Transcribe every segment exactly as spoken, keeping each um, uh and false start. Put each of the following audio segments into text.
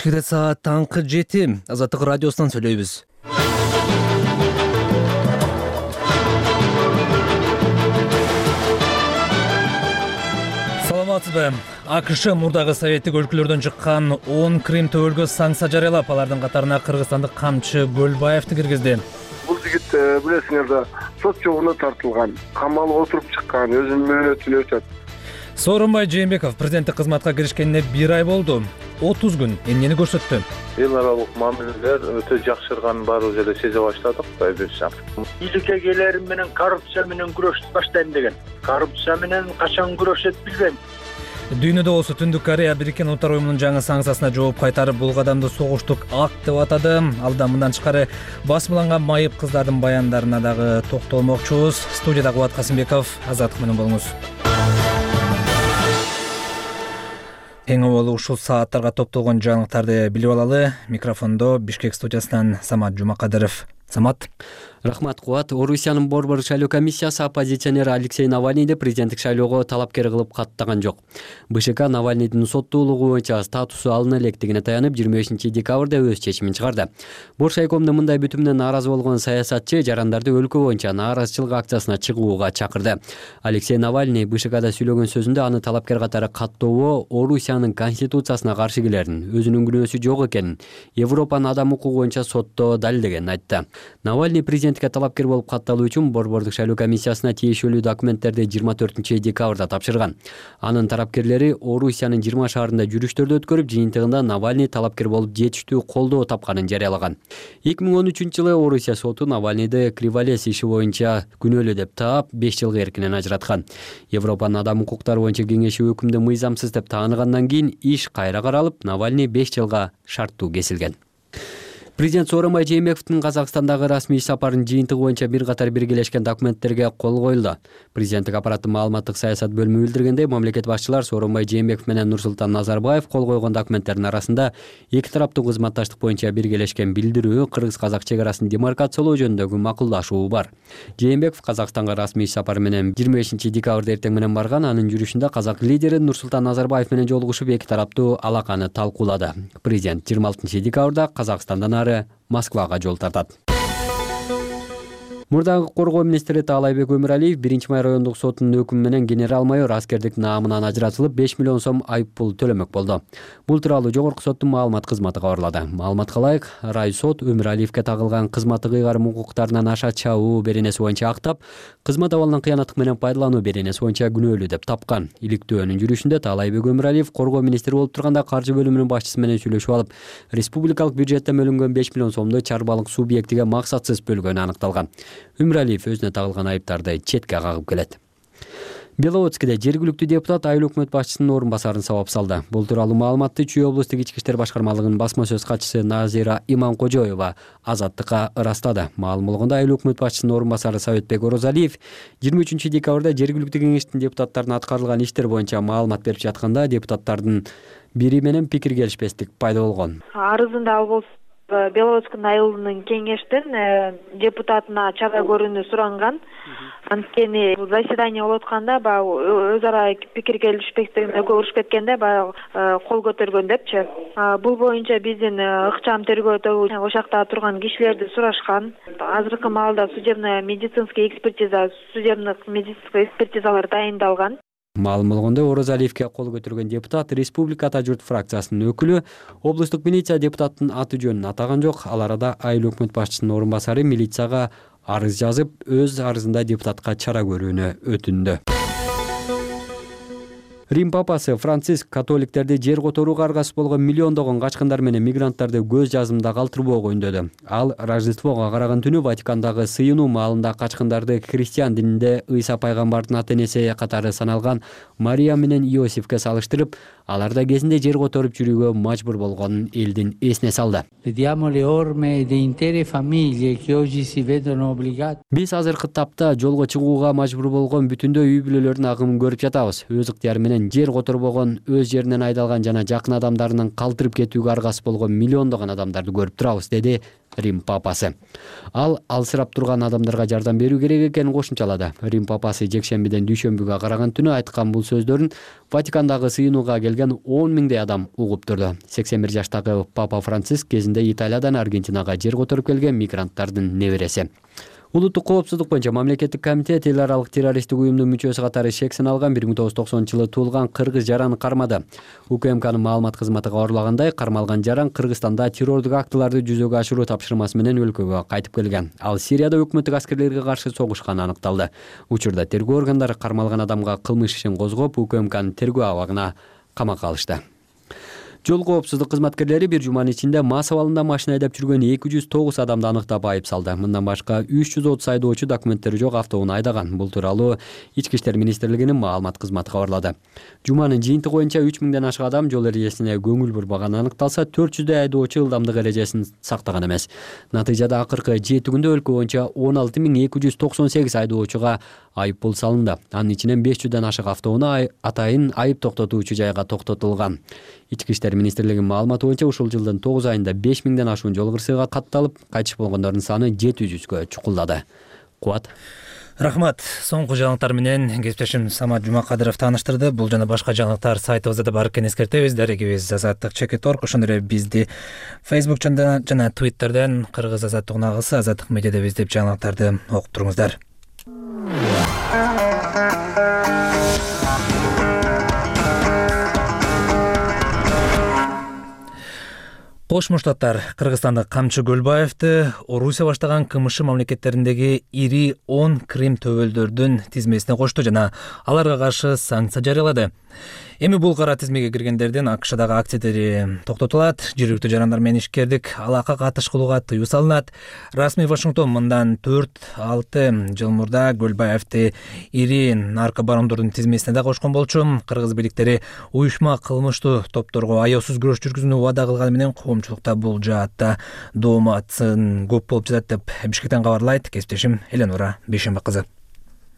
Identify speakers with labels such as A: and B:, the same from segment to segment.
A: Кечке саат таңкы жети. Азаттык радиосунан сүйлөйбүз. Саламатсызбы? АКШ мурдагы советтик өлкөлөрдөн чыккан он Крим төбөлгө санкция жарыялап, алардын катарына кыргызстандык камчы Бөлбаевди киргизди.
B: Бул жигит билесиңер да сот жобуна тартылган, камалга отуруп чыккан, өзүнүн мөөнөтүн өтөт.
A: Сооронбай Жээнбеков президенттик кызматка киришкенине бир ай болду. отуз күн эмнени көрсөттү?
C: Эл аралык мамилелер өтө жакшырганын баардык жерде сезе баштадык.
D: Бийликке келерим менен коррупция менен күрөштү баштайм деген. Коррупция менен качан күрөшөт билбейм.
A: Дүйнөдө болсо Түндүк Корея Бириккен Улуттар уюмунун жаңы санкциясына жооп кайтарып, бул кадамды согуштук акт деп атады. Алда мындан тышкары басмаланган майып кыздардын баяндарына дагы токтолмокчубуз. Студияда Кубат Касымбеков, Азаттык менен болуңуз. Эң аввал ушул сааттарга топтолгон жаңылыктарды билип алалы. Микрофондо Бишкек студиясынан Самат Жумакадыров. Самат.
E: Рахмат, Кубат. Орусиянын борбор шайлоо комиссиясы оппозиционер Алексей Навальныйды президенттик шайлоого талапкер кылып каттаган жок. БШК Навальныйдын соттуулугу боюнча статусу алына электигине таянып, жыйырма бешинчи декабрда өз чечимин чыгарды. Боршайкомдун мындай бүтүмүнө нааразы болгон саясатчы жарандарды өлкө боюнча нааразычылык акциясына чыгууга чакырды. Алексей Навальный БШКда сүйлөгөн сөзүндө аны талапкер катары каттоого Орусиянын конституциясына каршы келерин, өзүнүн күнөөсү жок экенин, Европанын адам укугу боюнча сотто далилдегенин айтты. Навальный президентке талапкер болуп катталуу үчүн борбордук шайлоо комиссиясына тиешелүү документтерди жыйырма төртүнчү декабрда тапшырган. Анын тарапкерлери Орусиянын жыйырма шаарында жүрүштөрдү өткөрүп, жыйынтыгында Навальный талапкер болуп жетиштүү колдоо тапканын жарыялаган. эки миң он үчүнчү жылы Орусия соту Навальныйды Криволес иши боюнча күнөөлүү деп таап, беш жылга эркинен ажыраткан. Европанын адам укуктары боюнча кеңеши өкүмдү мыйзамсыз деп тааныгандан кийин иш кайра каралып, Навальный беш жылга шарттуу кесилген. Президент Сооронбай Жээнбековдун Казакстандагы расмий иш сапарынын жыйынтыгы боюнча бир катар биргелешкен документтерге кол коюлду. Президенттик аппараттын маалыматтык саясат бөлүмү билдиргендей, мамлекет башчылар Сооронбай Жээнбеков менен Нурсултан Назарбаев кол койгон документтердин арасында эки тараптуу кызматташтык боюнча биргелешкен билдирүү, кыргыз-казак чек арасын демаркациялоо жөнүндөгү макулдашуу бар. Жээнбеков Казакстанга расмий иш сапары менен жыйырма бешинчи декабрда эртең менен барган. Анын жүрүшүндө казак лидери Нурсултан Назарбаев менен жолугушуп, эки тараптуу алаканы талкуулады. Президент жыйырма алтынчы декабрда Казакстандан ары Москвага жол тартат. Мурдагы коргоо министри Таалайбек Өмүралиев биринчи май райондук сотунун өкүмү менен генерал-майор аскердик наамынан ажыратылып, беш миллион сом айып пул төлөмөк болду. Бул тууралуу жогорку соттун маалымат кызматы кабарлады. Маалыматка ылайык, райсот Өмүралиевке тагылган кызматтык ыйгарым укуктарынан аша чабуу беренеси боюнча актап, кызмат абалынан кыянаттык менен пайдалануу беренеси боюнча күнөөлүү деп тапкан. Иликтөөнүн жүрүшүндө Таалайбек Өмүралиев коргоо министри болуп турганда каржы бөлүмүнүн башчысы менен сүйлөшүп алып, республикалык бюджеттен бөлүнгөн беш миллион сомду чарбалык субъектиге максатсыз бөлгөнү аныкталган. Өмүралиев өзүнө тагылган айыптарды четке кагып келет. Беловодскиде жергиликтүү депутат айыл өкмөт башчысынын орун басарын сабап салды. Бул тууралуу маалыматты Чүй облустук ички иштер башкармалыгынын басма сөз катчысы Назира Иманкожоева Азаттыкка ырастады. Маалым болгондо айыл өкмөт башчысынын орун басары Советбек Орозалиев жыйырма үчүнчү декабрда жергиликтүү кеңештин депутаттарына аткарылган иштер боюнча маалымат берип жатканда депутаттардын бири менен пикир келишпестик пайда болгон.
F: Арызында ал болсо Беловодскиндин айылынын кеңештин депутатына чара көрүүнү суранган. Анткени заседание болуп атканда баягы өз ара пикир келишпестигине көрүшүп кеткенде баягы кол көтөргөн депчи. Бул боюнча биздин ыкчам тергөөдө ошол жакта турган кишилерди сурашкан. Азыркы маалда судебно медицинский экспертиза, судебдик медицинский экспертизалар дайындалган.
E: Маалым болгондой, Орозалиевке кол көтөргөн депутат Республика Ата журт фракциясынын өкүлү, облустук милиция депутаттын аты жөнүн атаган жок. Ал арада айыл өкмөт башчысынын орун басары милицияга арыз жазып, өз арызында депутатка чара көрүүнү өтүндү. Рим папасы Франциск католиктерди жер которууга аргасыз болгон миллиондогон качкындар менен мигранттарды көз жазымда калтырбоого үндөдү. Ал Рождествого караган түнү Ватикандагы сыйынуу маалында качкындарды христиан дининде Ыйса пайгамбардын ата-энеси катары саналган Мария менен Иосифке салыштырып, алар да кезинде жер которуп жүрүүгө мажбур болгонун элдин эсине салды. Биз азыркы тапта жолго чыгууга мажбур болгон бүтүндөй үй бүлөлөрдүн агымын көрүп жатабыз. Өз ыктыяры менен менен жер которбогон, өз жеринен айдалган жана жакын адамдарынын калтырып кетүүгө аргасыз болгон миллиондогон адамдарды көрүп турабыз, деди Рим папасы. Ал алсырап турган адамдарга жардам берүү керек экенин кошумчалады. Рим папасы жекшембиден дүйшөмбүгө караган түнү айткан бул сөздөрүн Ватикандагы сыйынууга келген он миңдей адам угуп турду. сексен бир жаштагы Папа Франциск кезинде Италиядан Аргентинага жер которуп келген мигранттардын небереси. Улуттук коопсуздук боюнча мамлекеттик комитет эл аралык террористтик уюмдун мүчөсү катары шек сыналган бир миң тогуз жүз токсонунчу жылы туулган кыргыз жараны кармады. УКМКнын маалымат кызматы кабарлагандай, кармалган жаран Кыргызстанда террордук актыларды жүзөгө ашыруу тапшырмасы менен өлкөгө кайтып келген. Ал Сирияда өкмөттүк аскерлерге каршы согушканы аныкталды. Учурда тергөө органдары кармалган адамга кылмыш ишин козгоп, УКМКнын тергөө абагына камакка алышты. Жол коопсуздук кызматкерлери бир жуманын ичинде мас абалында машина айдап жүргөн эки жүз тогуз адамды аныктап айып салды. Мындан башка үч жүз отуз айдоочу документтери жок автоунаа айдаган. Бул тууралуу Ички иштер министрлигинин маалымат кызматы кабарлады. Жуманын жыйынтыгы боюнча үч миңден ашык адам жол эрежесине көңүл бурбаганы аныкталса, төрт жүздөй айдоочу ылдамдык эрежесин сактаган эмес. Натыйжада акыркы жети күндө өлкө боюнча он алты миң эки жүз токсон сегиз айдоочуга айып пул салынды. Анын ичинен беш жүздөн ашык автоунаа атайын айып токтотуучу жайга токтотулган. Ички иштер министрлигинин маалыматы боюнча ушул жылдын тогуз айында беш миңден ашуун жол кырсыгы катталып, кайтыш болгондордун саны жети жүзгө чукулдады. Кубат.
A: Рахмат. Соңку жаңылыктар менен кесиптешим Самат Жумакадыров тааныштырды. Бул жана башка жаңылыктар сайтыбызда да бар экенин эскертебиз. Дарегибиз азаттык чекит точка орг, ошондой эле бизди Facebook жана жана Twitterден Кыргыз азаттык нагысы Азаттык медиада издеп жаңылыктарды окуп туруңуздар. Кошмо Штаттар Кыргызстандык Камчы Көлбаевди Орусия баштаган КМШ мамлекеттериндеги ири он Крим төбөлдөрдүн тизмесине кошту жана аларга каршы санкция жарыялады. Эми бул кара тизмеге киргендердин АКШдагы активдери токтотулат, жергиликтүү жарандар менен ишкердик алака катыш кылууга тыюу салынат. Расмий Вашингтон мындан төрт алты жыл мурда Көлбаевди ири наркобарондордун тизмесине да кошкон болчу. Кыргыз бийликтери уюшма кылмыштуу топторго аяосуз күрөш жүргүзүүнү убада кылганы менен коомчулукта бул жаатта дооматын көп болуп жатат деп Бишкектен кабарлайт кесиптешим Эленора Бейшенбек кызы.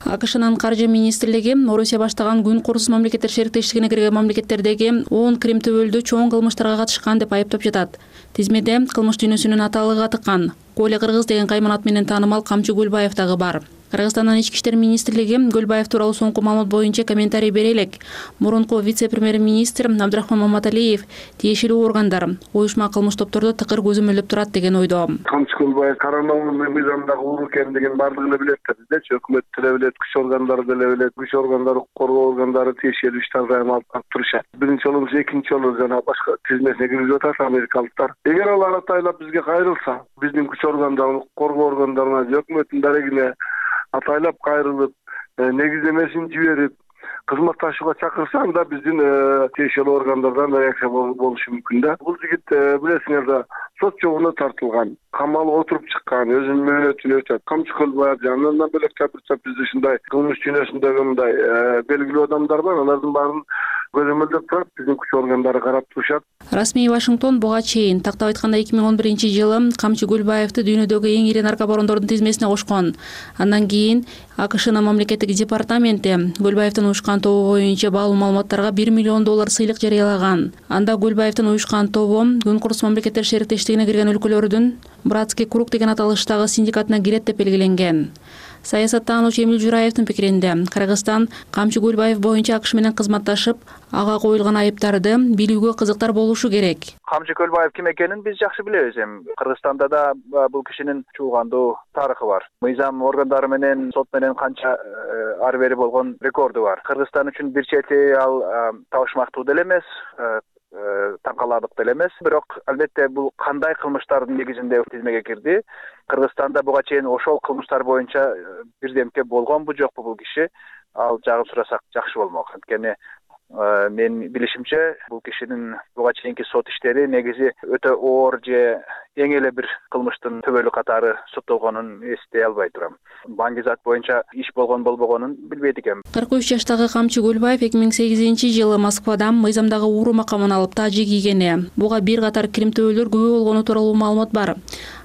G: АКШнын каржы министрлиги Орусия баштаган күн курус мамлекеттер шериктештигине кирген мамлекеттердеги он Крим төбөлдү чоң кылмыштарга катышкан деп айыптап жатат. Тизмеде кылмыш дүйнөсүнүн аталыгы тыккан Коля Кыргыз деген кайманат менен таанымал Камчы Көлбаев дагы бар. Кыргызстандын ички иштер министрлиги Көлбаев тууралуу соңку маалымат боюнча комментарий бере элек. Мурунку вице-премьер-министр Абдрахман Маматалиев тиешелүү органдар уюшма кылмыш топторду тыкыр көзөмөлдөп турат деген ойдо.
B: Камчы Көлбаев каранауынын мыйзамдагы уур экендигин бардыгы эле билет да, биздечи өкмөт деле билет, күч органдары деле билет, күч органдары, коргоо органдары тиешелүү иштер дайым алып турушат. Биринчи жолу, экинчи жолу жана башка тизмесине киргизип атат америкалыктар. Эгер алар атайлап бизге кайрылса, биздин күч органдарына, коргоо органдарына, өкмөттүн дарегине атайлап кайрылып, негиздемесин жиберип, кызматташууга чакырса, анда биздин тиешелүү органдардан реакция болушу мүмкүн да. Бул жигит билесиңер да, сот жобуна тартылган, камалга отуруп чыккан, өзүнүн мөөнөтүн өтөт. Камчы Көлбаев жанынан бөлөк жабырчап бизде ушундай кылмыш дүйнөсүндөгү мындай белгилүү адамдар бар, алардын баарын көзөмөлдөп турат, биздин күч органдары карап турушат.
G: Расмий Вашингтон буга чейин тактап айтканда эки миң он биринчи жылы Камчы Көлбаевди дүйнөдөгү эң ири наркобарондордун тизмесине кошкон. Андан кийин АКШнын мамлекеттик департаменти Көлбаевдин уюшкан тобу боюнча баалуу маалыматтарга бир миллион доллар сыйлык жарыялаган. Анда Көлбаевдин уюшкан тобу күн курус мамлекеттер шериктештигине кирген өлкөлөрдүн Братский круг деген аталыштагы синдикатына кирет деп белгиленген. Саясаттануучу Эмил Жураевдин пикиринде, Кыргызстан Камчы Көлбаев боюнча АКШ менен кызматташып, ага коюлган айыптарды билүүгө кызыктар болушу керек.
C: Камчы Көлбаев ким экенин биз жакшы билебиз. Эми Кыргызстанда да бул кишинин чуулгандуу тарыхы бар. Мыйзам органдары менен, сот менен канча ары бери болгон рекорду бар. Кыргызстан үчүн бир чети ал табышмактуу деле эмес, таңкаларлык деле эмес. Бирок албетте бул кандай кылмыштардын негизинде тизмеге кирди? Кыргызстанда буга чейин ошол кылмыштар боюнча бирдемке болгонбу жокпу бул киши? Ал жагын сурасак жакшы болмок. Анткени мен билишимче бул кишинин буга чейинки сот иштери негизи өтө оор же эң эле бир кылмыштын төбөлү катары соттолгонун эстей албай турам. Баңгизат боюнча иш болгон болбогонун билбейт экенм.
G: кырк үч жаштагы Камчы Көлбаев эки миң сегизинчи жылы Москвадан мыйзамдагы ууру макамын алып тажи кийгени. Буга бир катар Крим төбөлдөр күбө болгону тууралуу маалымат бар.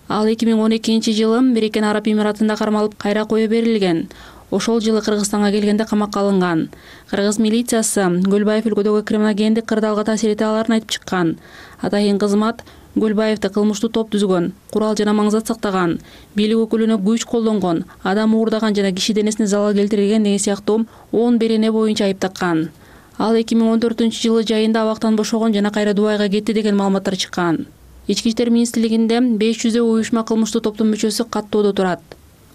G: Ал эки миң он экинчи жылы Бириккен Араб Эмиратында кармалып кайра кое берилген. ошол жылы Кыргызстанга келгенде камакка алынган. Кыргыз милициясы Көлбаев өлкөдөгү криминогендик кырдаалга таасир эте аларын айтып чыккан. Атайын кызмат Көлбаевди кылмыштуу топ түзгөн, курал жана маңзат сактаган, бийлик өкүлүнө күч колдонгон, адам уурдаган жана киши денесине залал келтирген деген сыяктуу он берене боюнча айып таккан. Ал эки миң он төртүнчү жылы жайында абактан бошогон жана кайра Дубайга кетти деген маалыматтар чыккан. Ички иштер министрлигинде беш жүздөй уюшма кылмыштуу топтун мүчөсү каттоодо турат.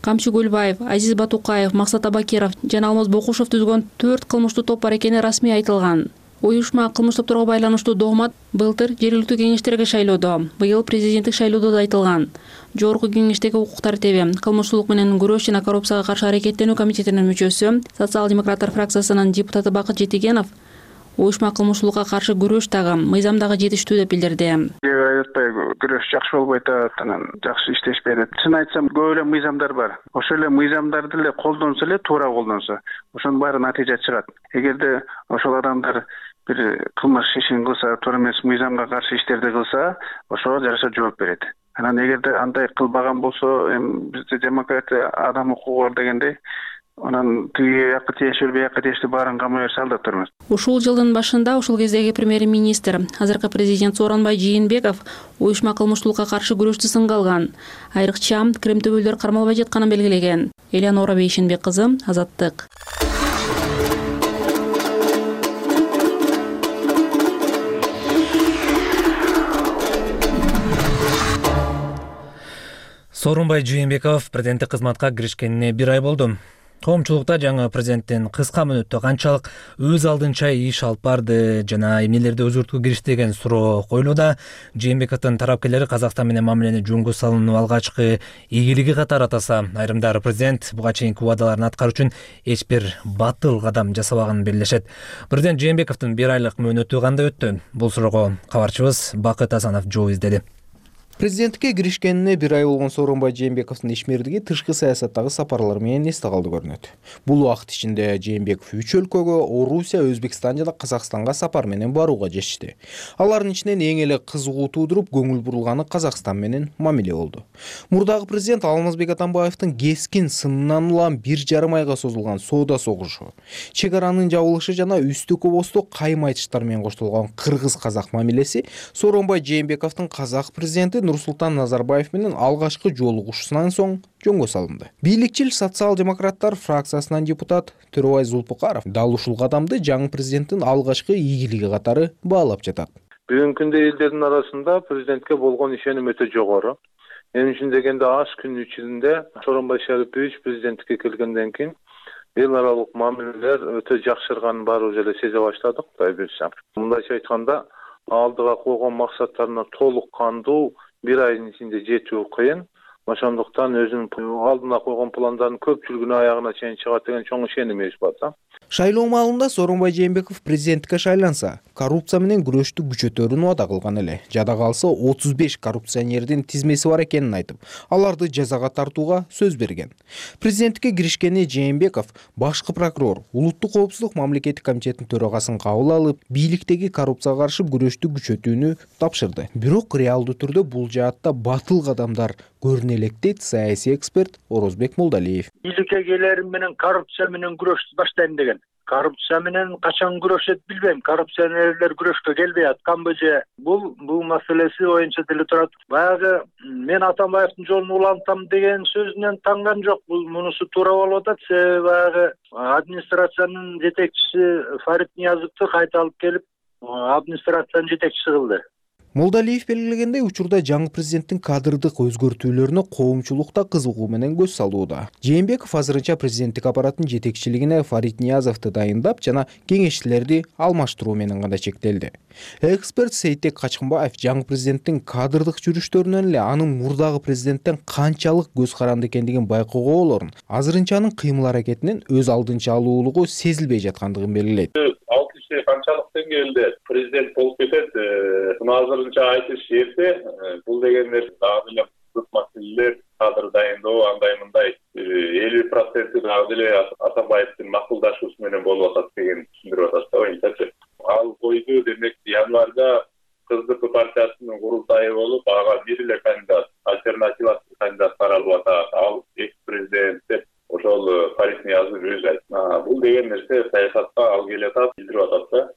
G: Камчы Көлбаев, Азиз Батукаев, Максат Абакиров жана Алмаз Бокушев түзгөн төрт кылмыштуу топ бар экени расмий айтылган. Уюшма кылмыш топторго байланыштуу догмат былтыр жергиликтүү кеңештерге шайлоодо, быйыл президенттик шайлоодо да айтылган. Жогорку кеңештеги укук тартиби, кылмыштуулук менен күрөш жана коррупцияга каршы аракеттенүү комитетинин мүчөсү, социал-демократтар фракциясынын депутаты Бакыт Жетигенов уюшма кылмыштуулукка каршы күрөш дагы, мыйзам дагы жетиштүү деп билдирди.
C: Аябай күрөш жакшы болбой атат, анан жакшы иштешпей атат. Чын айтсам, көп эле мыйзамдар бар. Ошол эле мыйзамдарды эле колдонсо эле, туура колдонсо, ошонун баары натыйжа чыгат. Эгерде ошол адамдар бир кылмыш ишин кылса, туура эмес мыйзамга каршы иштерди кылса, ошого жараша жооп берет. Анан эгерде андай кылбаган болсо, эми бизде демократия, адам укугу бар дегендей, анан тиги жакка тиешелүү, биякка тиешелүү баарын камай берсе алдап турмыз.
G: Ушул жылдын башында ушул кездеги премьер-министр, азыркы президент Сооронбай Жээнбеков уюшма кылмыштуулукка каршы күрөштү сынга алган. Айрыкча Крем төбөлдөр кармалбай жатканын белгилеген. Элеонора Бейшенбек кызы, Азаттык.
A: Сооронбай Жээнбеков президенттик кызматка киришкенине бир ай болду. Коомчулукта жаңы президенттин кыска мөөнөттө канчалык өз алдынча иш алып барды жана эмнелерди өзгөрткө киришти деген суроо коюлууда. Жээнбековдун тарапкерлери Казакстан менен мамилени жөнгө салуунун алгачкы ийгилиги катары атаса, айрымдары президент буга чейинки убадаларын аткаруу үчүн эч бир батыл кадам жасабаганын белгилешет. Президент Жээнбековдун бир айлык мөөнөтү кандай өттү? Бул суроого кабарчыбыз Бакыт Асанов жооп издеди.
H: Президенттикке киришкенине бир ай болгон Сооронбай Жээнбековдун ишмердиги тышкы саясаттагы сапарлар менен эсте калды көрүнөт. Бул убакыт ичинде Жээнбеков үч өлкөгө Орусия, Өзбекстан жана Казакстанга сапар менен барууга чечти. Алардын ичинен эң эле кызыгуу туудуруп көңүл бурулганы Казакстан менен мамиле болду. Мурдагы президент Алмазбек Атамбаевдин кескин сынынан улам бир жарым айга созулган соода согушу, чек аранын жабылышы жана үстү кобосту кайым айтыштар менен коштолгон кыргыз-казак мамилеси Сооронбай Жээнбековдун казак президенти Нурсултан Назарбаев менен алгачкы жолугушуусунан соң жөнгө салынды. Бийликчил социал-демократтар фракциясынан депутат Төрөбай Зулпукаров дал ушул кадамды жаңы президенттин алгачкы ийгилиги катары баалап жатат.
I: Бүгүнкү күндө элдердин арасында президентке болгон ишеним өтө жогору. Мен үчүн дегенде аз күн ичинде Сооронбай Шарипович президенттикке келгенден кийин эл аралык мамилелер өтө жакшырганын баарыбыз эле сезе баштадык, Кудай буйрса. Мындайча айтканда, алдыга койгон максаттарына толук кандуу бир айдын ичинде жетүү кыйын. Ошондуктан өзүнүн алдына койгон пландарын көпчүлүгүнүн аягына чейин чыгат деген чоң ишенимибиз бар да.
H: Шайлоо маалында Сооронбай Жээнбеков президенттикке шайланса, коррупция менен күрөштү күчөтөрүн убада кылган эле. Жада калса отуз беш коррупционердин тизмеси бар экенин айтып, аларды жазага тартууга сөз берген. Президенттикке киришкени Жээнбеков башкы прокурор, улуттук коопсуздук мамлекеттик комитетинин төрагасын кабыл алып, бийликтеги коррупцияга каршы күрөштү күчөтүүнү тапшырды. Бирок реалдуу түрдө бул жаатта батыл кадамдар көрүнө элек дейт саясий эксперт Орозбек Молдалиев.
D: Бийликке келерим менен коррупция менен күрөштү баштайм деген. Коррупция менен качан күрөшөт билбейм. Коррупционерлер күрөшкө келбей атканбы же? Бул бул маселеси оюнча деле турат. Баягы мен Атамбаевдин жолун улантам деген сөзүнөн танган жок. Бул мунусу туура болуп атат. Себеби баягы администрациянын жетекчиси Фарид Ниязовду кайта алып келип, администрациянын жетекчиси кылды.
H: Молдалиев белгилегендей, учурда жаңы президенттин кадрдык өзгөртүүлөрүнө коомчулукта кызыгуу менен көз салууда. Жээнбеков азырынча президенттик аппараттын жетекчилигине Фарид Ниязовду дайындап жана кеңешчилерди алмаштыруу менен гана чектелди. Эксперт Сейтек Качкынбаев жаңы президенттин кадрдык жүрүштөрүнөн эле анын мурдагы президенттен канчалык көз каранды экендигин байкоого болорун, азырынча анын кыймыл-аракетинен өз алдынча алуулугу сезилбей жаткандыгын белгилейт.
I: Канчалык деңгээлде президент болуп кетет, азырынча айтыш эрте. Бул дегендер дагы эле көп маселелер, кадр дайындоо, андай мындай элүү проценти дагы эле Атамбаевдин макулдашуусу менен болуп атат деген түшүндүрүп атат да оюнчачы. Ал койду, демек январда КСДП партиясынын курултайы болуп, ага бир эле кандидат, альтернативасы кандидат каралып атат. Ал экс президент деп ошол Фарид Ниязов
J: деген нерсе саясатка алып келатат, билдирип атат да.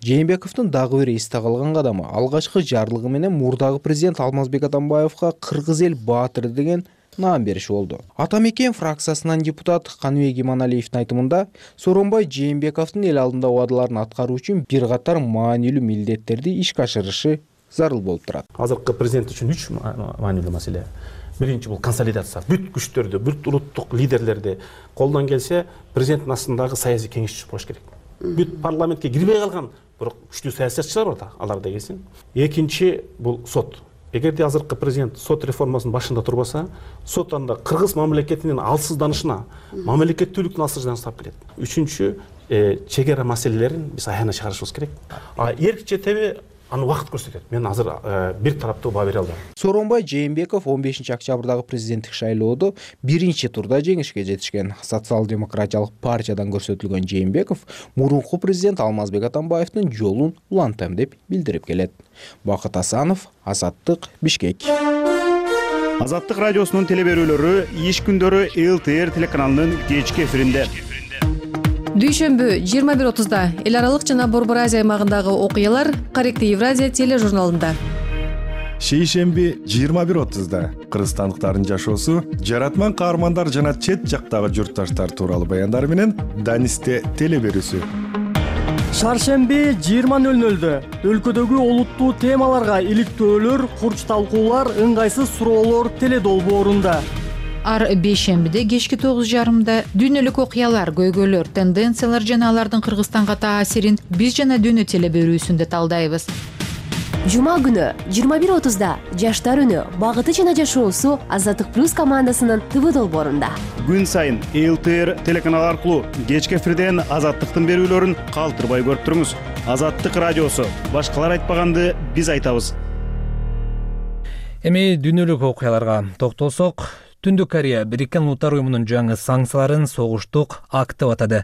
H: Жээнбековдун дагы бир эсте калган кадамы алгачкы жарлыгы менен мурдагы президент Алмазбек Атамбаевга кыргыз эл баатыры деген наам бериши болду. Ата мекен фракциясынан депутат Каныбек Иманалиевдин айтымында Сооронбай Жээнбековдун эл алдында убадаларын аткаруу үчүн бир катар маанилүү милдеттерди ишке ашырышы зарыл болуп турат.
K: Азыркы президент үчүн үч маанилүү маселе. Биринчи бул консолидация. Бүт күчтөрдү, бүт улуттук лидерлерди колдон келсе президенттин астындагы саясий кеңешчи болуш керек. Бүт парламентке кирбей калган бирок күчтүү саясатчылар бар да, алар да келсин. Экинчи бул сот. Эгерде азыркы президент сот реформасынын башында турбаса, сот анда кыргыз мамлекетинин алсызданышына, мамлекеттүүлүктүн алсызданышына алып келет. Үчүнчү, чегара маселелерин биз аягына чыгарышыбыз керек. А эрк четеби аны убакыт көрсөтөт. Мен азыр бир тараптуу баа бере албайм.
H: Сооронбай Жээнбеков он бешинчи октябрдагы президенттик шайлоодо биринчи турда жеңишке жетишкен. Социал-демократиялык партиядан көрсөтүлгөн Жээнбеков мурунку президент Алмазбек Атамбаевдин жолун улантам деп билдирип келет. Бакыт Асанов, Азаттык, Бишкек.
L: Азаттык радиосунун телеберүүлөрү иш күндөрү эл тэ эр телеканалынын кечки эфиринде.
M: Дүйшөмбү жыйырма бир отузда эл аралык жана Борбор Азия аймагындагы окуялар Корректив Евразия тележурналында.
N: Шейшемби жыйырма бир отузда кыргызстандыктардын жашоосу, жаратман каармандар жана чет жактагы журтташтар тууралуу баяндар менен Данисте телеберүүсү.
O: Шаршемби жыйырма нөл нөлдө өлкөдөгү олуттуу темаларга иликтөөлөр, курч талкуулар, ыңгайсыз суроолор теледолбоорунда.
P: Ар бейшембиде кечки тогуз жарымда дүйнөлүк окуялар, көйгөйлөр, тенденциялар жана алардын Кыргызстанга таасирин биз жана дүйнө телеберүүсүндө талдайбыз.
Q: Жума күнү жыйырма бир отузда Жаштар үнү, багыты жана жашоосу Азаттык плюс командасынын ТВ долбоорунда.
L: Күн сайын эл тэ эр телеканалы аркылуу кечки эфирден Азаттыктын берүүлөрүн калтырбай көрүп туруңуз. Азаттык радиосу, башкалар айтпаганды биз айтабыз.
A: Эми дүйнөлүк окуяларга токтолсок, Түндүк Корея Бириккен Улуттар уюмунун жаңы санкцияларын согуштук акт деп атады.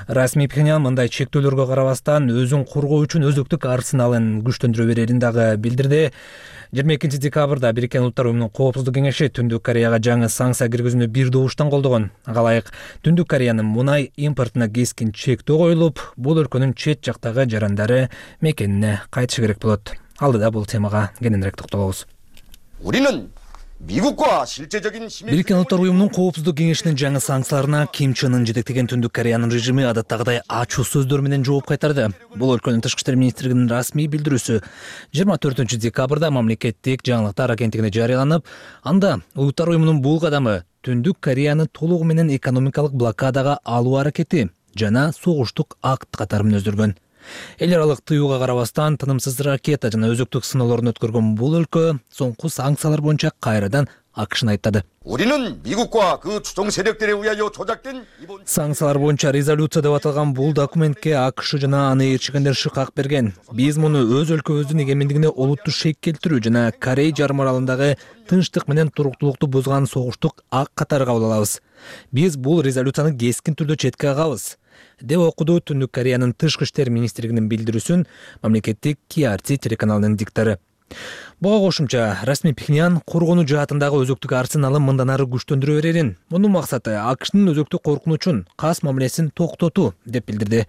A: Расмий Пхеньян мындай чектөөлөргө карабастан өзүн коргоо үчүн өзөктүк арсеналын күчтөндүрө берерин дагы билдирди. жыйырма экинчи декабрда Бириккен Улуттар уюмунун Коопсуздук кеңеши Түндүк Кореяга жаңы санкция киргизүүнү бир добуштан колдогон. Ага ылайык Түндүк Кореянын мунай импортуна кескин чектөө коюлуп, бул өлкөнүн чет жактагы жарандары мекенине кайтышы керек болот. Алдыда бул темага кененирээк токтолобуз. Бириккен Улуттар уюмунун Коопсуздук кеңешинин жаңы санкцияларына Ким Чен Ын жетектеген Түндүк Кореянын режими адаттагыдай ачуу сөздөр менен жооп кайтарды. Бул өлкөнүн тышкы иштер министрлигинин расмий билдирүүсү жыйырма төртүнчү декабрда мамлекеттик жаңылыктар агенттигине жарыяланып, анда Улуттар уюмунун бул кадамы Түндүк Кореяны толугу менен экономикалык блокадага алуу аракети жана согуштук акт катары мүнөздөргөн. Эл аралык тыюуга карабастан тынымсыз ракета жана өзөктүк сыноолорун өткөргөн бул өлкө соңку санкциялар боюнча кайрадан акышын айттады. Санкциялар боюнча резолюция деп аталган бул документке АКШ жана аны ээрчигендер шыкак берген. Биз муну өз өлкөбүздүн эгемендигине олуттуу шек келтирүү жана Корей жарым аралындагы тынчтык менен туруктуулукту бузган согуштук акт катары кабыл алабыз. Биз бул резолюцияны кескин түрдө четке кагабыз деп окуду Түндүк Кореянын тышкы иштер министрлигинин билдирүүсүн мамлекеттик Ки Ар Ти телеканалынын диктору. Буга кошумча Расмий Пхеньян коргонуу жаатындагы өзөктүк арсеналын мындан ары күчтөндүрө берерин, мунун максаты АКШнын өзөктүк коркунучун, кас мамилесин токтотуу деп билдирди.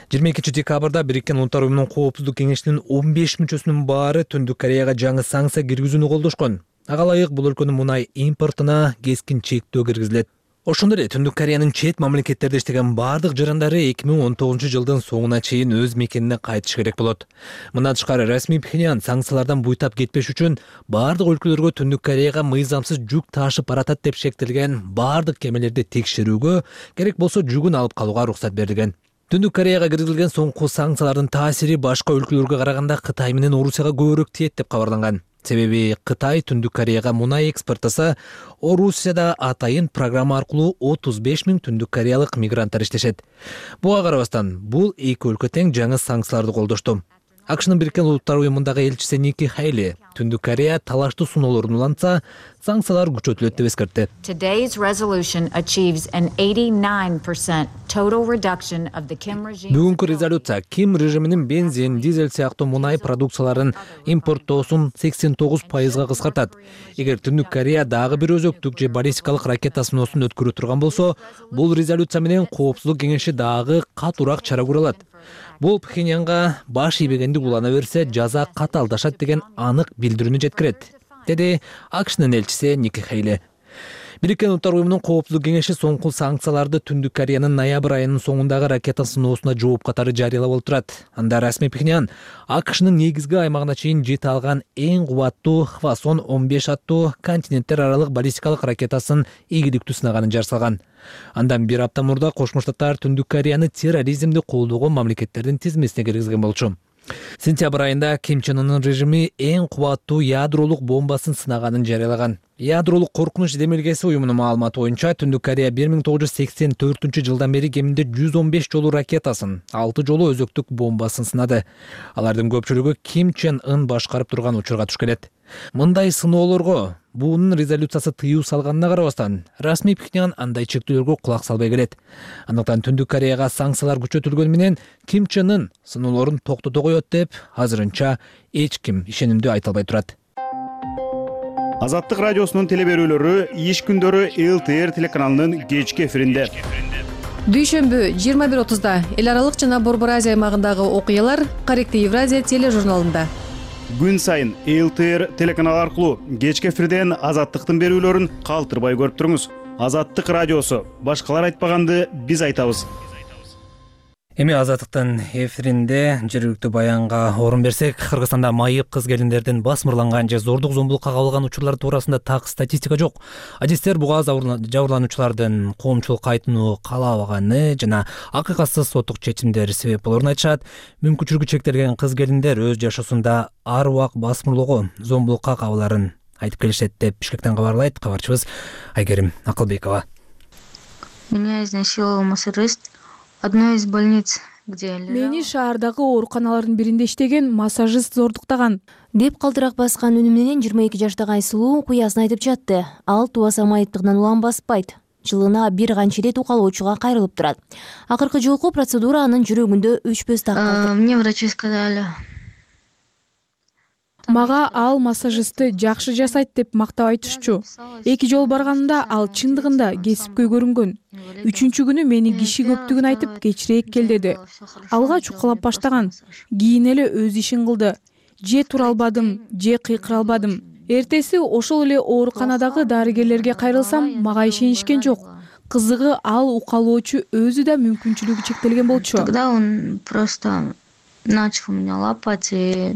A: жыйырма экинчи декабрда Бириккен Улуттар уюмунун Коопсуздук кеңешинин он беш мүчөсүнүн баары Түндүк Кореяга жаңы санкция киргизүүнү колдошкон. Ага ылайык бул өлкөнүн мунай импортуна кескин чектөө киргизилет. Ошондой эле Түндүк Кореянын чет мамлекеттерде иштеген бардык жарандары эки миң он тогузунчу жылдын соңуна чейин өз мекенине кайтышы керек болот. Мындан тышкары Расмий Пхеньян санкциялардан буйтап кетпеш үчүн бардык өлкөлөргө Түндүк Кореяга мыйзамсыз жүк ташып баратат деп шектелген бардык кемелерди текшерүүгө, керек болсо жүгүн алып калууга уруксат берилген. Түндүк Кореяга киргизилген соңку санкциялардын таасири башка өлкөлөргө караганда Кытай менен Орусияга көбүрөөк тиет деп кабарланган. Себеби Кытай Түндүк Кореяга мунай экспорттаса, Орусияда атайын программа аркылуу отуз беш миң түндүк кореялык мигранттар иштешет. Буга карабастан бул эки өлкө тең жаңы санкцияларды колдошту. АКШнын Бириккен Улуттар уюмундагы элчиси Ники Хайли Түндүк Корея талаштуу суноолорун улантса, санкциялар күчөтүлөт деп эскертти.
R: Today's resolution achieves an eighty-nine percent total reduction of the Kim regime.
A: Бүгүнкү резолюция Ким режиминин бензин, дизель сыяктуу мунай продукцияларын импорттоосун сексен тогуз пайызга кыскартат. Эгер Түндүк Корея дагы бир өзөктүк же баллистикалык ракета сыноосун өткөрө турган болсо, бул резолюция менен Коопсуздук кеңеши дагы катуураак чара көрө алат. Бул Пхеньянга баш ийбегендик улана берсе, жаза катаалдашат деген анык билдирүүнү жеткирет, деди АКШнын элчиси Ники Хейли. Бириккен Улуттар Уюмунун Коопсуздук кеңеши соңку санкцияларды Түндүк Кореянын ноябрь айынын соңундагы ракета сыноосуна жооп катары жарыялап отурат. Анда расмий Пхеньян АКШнын негизги аймагына чейин жете алган эң кубаттуу Хвасон он беш аттуу континенттер аралык баллистикалык ракетасын ийгиликтүү сынаганын жарсалган. Андан бир апта мурда Кошмо Штаттар Түндүк Кореяны терроризмди колдогон мамлекеттердин тизмесине киргизген болчу. Сентябрь айында Ким Чен Ынын режими эң кубаттуу ядролук бомбасын сынаганын жарыялаган. Ядролук коркунуч демилгеси уюмунун маалыматы боюнча Түндүк Корея бир миң тогуз жүз сексен төртүнчү жылдан бери кеминде жүз он беш жолу ракетасын, алты жолу өзөктүк бомбасын сынады. Алардын көпчүлүгү Ким Чен Ын башкарып турган учурга туш келет. Мындай сыноолорго буунун резолюциясы тыюу салганына карабастан, расмий Пхеньян андай чектөөлөргө кулак салбай келет. Андыктан Түндүк Кореяга санкциялар күчөтүлгөнү менен Ким Чен Ын сыноолорун токтото коет деп азырынча эч ким ишенимдүү айта албай турат.
L: Азаттык радиосунун телеберүүлөрү иш күндөрү эл тэ эр телеканалынын кечки эфиринде.
M: Дүйшөмбү жыйырма бир отузда эл аралык жана Борбор Азия аймагындагы окуялар Корректив Евразия тележурналында.
L: Күн сайын эл тэ эр телеканалы аркылуу кечки эфирден Азаттыктын берүүлөрүн калтырбай көрүп туруңуз. Азаттык радиосу. Башкалар айтпаганды биз айтабыз.
A: Эми Азаттыктын эфиринде жергиликтүү баянга орун берсек, Кыргызстанда майып кыз келиндердин басмырланган же зордук зомбулукка кабылган учурлар туурасында так статистика жок. Адистер буга жабырлануучулардын коомчулук кайтууну каалабаганы жана акыйкатсыз соттук чечимдер себеп болоорун айтышат. Мүмкүнчүлүгү чектелген кыз келиндер өз жашоосунда ар убак басмырлоого, зомбулукка кабылаарын айтып келишет деп Бишкектен кабарлайт кабарчыбыз Айгерим Акылбекова.
S: Меня изнасиловал массажист одной из больниц, где
T: Мени шаардагы ооруканалардын биринде иштеген массажист зордуктаган
Q: деп калтырак баскан үнү менен жыйырма эки жаштагы Айсулуу куясын айтып жатты. Ал тубаса майыптыгынан улам баспайт. Жылына бир канча ирет укалоочуга кайрылып турат. Акыркы жолку процедура анын жүрөгүндө өчпөс так калды.
S: Мне врачи сказали.
T: Мага ал массажистти жакшы жасайт деп мактап айтышчу. Эки жол барганымда ал чындыгында кесипкөй көрүнгөн. Үчүнчү күнү мени киши көптүгүн айтып кечирээк кел деди. Алга чукалап баштаган. Кийин эле өз ишин кылды. Же тура албадым, же кыйкыра албадым. Эртеси ошол эле ооруканадагы дарыгерлерге кайрылсам, мага ишенишкен жок. Кызыгы ал укалоочу өзү да мүмкүнчүлүгү чектелген болчу.
S: Тогда он просто начал меня лапать и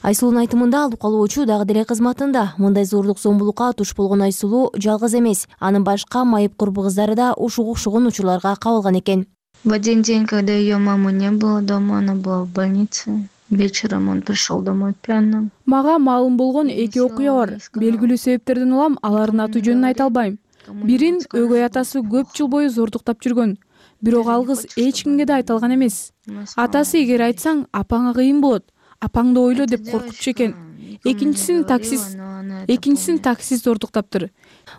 Q: Айсулунун айтымында ал укалоочу дагы деле кызматында. Мындай зордук зомбулукка туш болгон Айсулуу жалгыз эмес. Анын башка майып курбу кыздары да ушуга окшогон учурларга кабылган экен.
S: В один день, когда ее мамы не было дома, она была в больнице. Вечером он пришел домой пьяным.
T: Мага маалым болгон эки окуя бар. Белгилүү себептерден улам алардын аты жөнүн айта албайм. Бирин өгөй атасы көп жыл бою зордуктап жүргөн. Бирок ал кыз эч кимге да айта алган эмес. Атасы эгер айтсаң, апаңа кыйын болот. Апаңды ойло деп коркутчу экен. Экинчисин таксист, экинчисин таксист зордуктаптыр.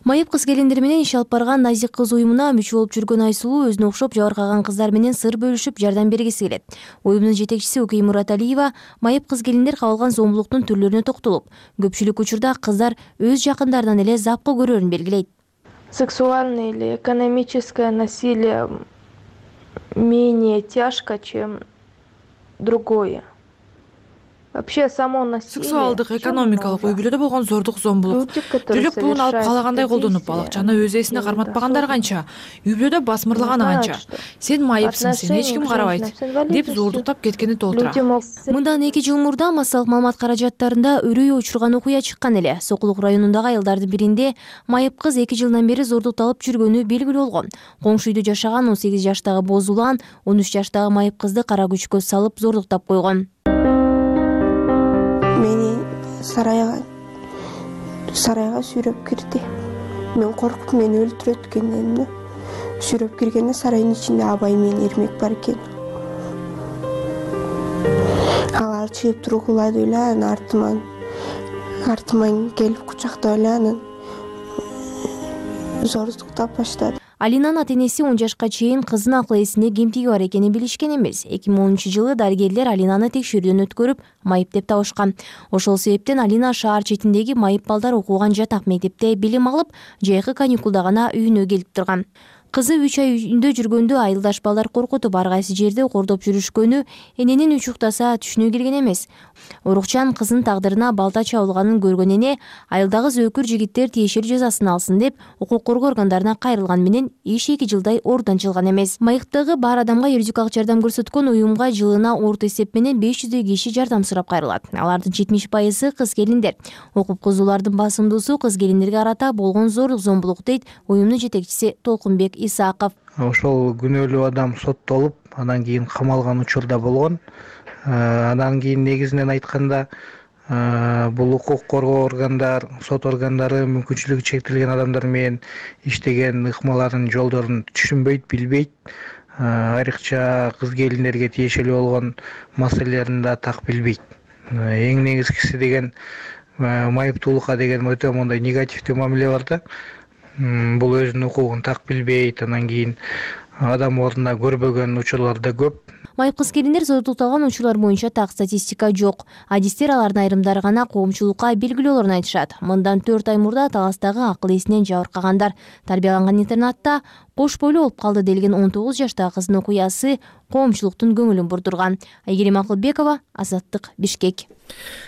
Q: Майып кыз келиндер менен иш алып барган Назик кыз уюмуна мүчө болуп жүргөн Айсулуу өзүнө окшоп жабыркаган кыздар менен сыр бөлүшүп жардам бергиси келет. Уюмдун жетекчиси Окей Мураталиева майып кыз келиндер кабылган зомбулуктун түрлөрүнө токтолуп, көпчүлүк учурда кыздар өз жакындарынан эле запкы көрөрүн белгилейт.
U: Сексуальное или экономическое насилие менее тяжко, чем другое. Вообще само насилие.
V: Сексуалдык, экономикалык үй бүлөдө болгон зордук, зомбулук. Жүлүк пулун алып каалагандай колдонуп, балакчаны өз ээсине карматпагандар канча, үй бүлөдө басмырлаганы канча. Сен майыпсың, сени эч ким карабайт деп зордуктап кеткени толтура.
Q: Мындан эки жыл мурда массалык маалымат каражаттарында өрөй учурган окуя чыккан эле. Сокулук районундагы айылдардын биринде майып кыз эки жылдан бери зордукталып жүргөнү белгилүү болгон. Коңшу үйдө жашаган он сегиз жаштагы Бозулан он үч жаштагы майып кызды кара күчкө салып зордуктап койгон.
W: Мени сарайга сарайга сүйрөп кирди. Мен коркуп мени өлтүрөт экенмин. Сүйрөп киргенде сарайдын ичинде Абай менен Эрмек бар экен. Алар чыгып тургулады эле, анан артыман артыман келип кучактап эле анан зордуктап баштады.
Q: Алинанын ата-энеси он жашка чейин кызынын акыл эсинде кемтиги бар экенин билишкен эмес. эки миң онунчу жылы дарыгерлер Алинаны текшерүүдөн өткөрүп, майып деп табышкан. Ошол себептен Алина шаар четиндеги майып балдар окуган жатак мектепте билим алып, жайкы каникулда гана үйүнө келип турган. Кызы үч ай үйүндө жүргөндө айылдаш балдар коркутуп ар кайсы жерде кордоп жүрүшкөнү эненин үч уктаса түшүнө келген эмес. Урукчан кызынын тагдырына балта чабылганын көргөн эне айылдагы зөөкүр жигиттер тиешелүү жазасын алсын деп укук коргоо органдарына кайрылган менен иш эки жылдай ордон чылган эмес. Майыктагы бар адамга юридикалык жардам көрсөткөн уюмга жылына орто эсеп менен беш жүздөй киши жардам сурап кайрылат. Алардын жетимиш пайызы кыз келиндер. Окуп кызуулардын басымдуусу кыз келиндерге карата болгон зорлук зомбулук дейт уюмдун жетекчиси Толкунбек Исаков.
B: Ошол күнөөлүү адам соттолуп, анан кийин камалган учур да болгон. Андан кийин негизинен айтканда бул укук коргоо органдар, сот органдары мүмкүнчүлүгү чектелген адамдар менен иштеген ыкмаларын жолдорун түшүнбөйт, билбейт. Айрыкча кыз келиндерге тиешелүү болгон маселелерин да так билбейт. Эң негизгиси деген майыптуулукка деген өтө мондай негативдүү мамиле бар да. Бул өзүнүн укугун так билбейт, анан кийин адам ордуна көрбөгөн учурлар да көп.
Q: Майып кыз келиндер зордукталган учурлар боюнча так статистика жок. Адистер алардын айрымдары гана коомчулукка белгилүүлөрүн айтышат. Мындан төрт ай мурда Таластагы акыл эсинен жабыркагандар тарбияланган интернатта кош бойлуу болуп калды делген он тогуз жаштагы кыздын окуясы коомчулуктун көңүлүн бурдурган. Айгерим Акылбекова, Азаттык, Бишкек.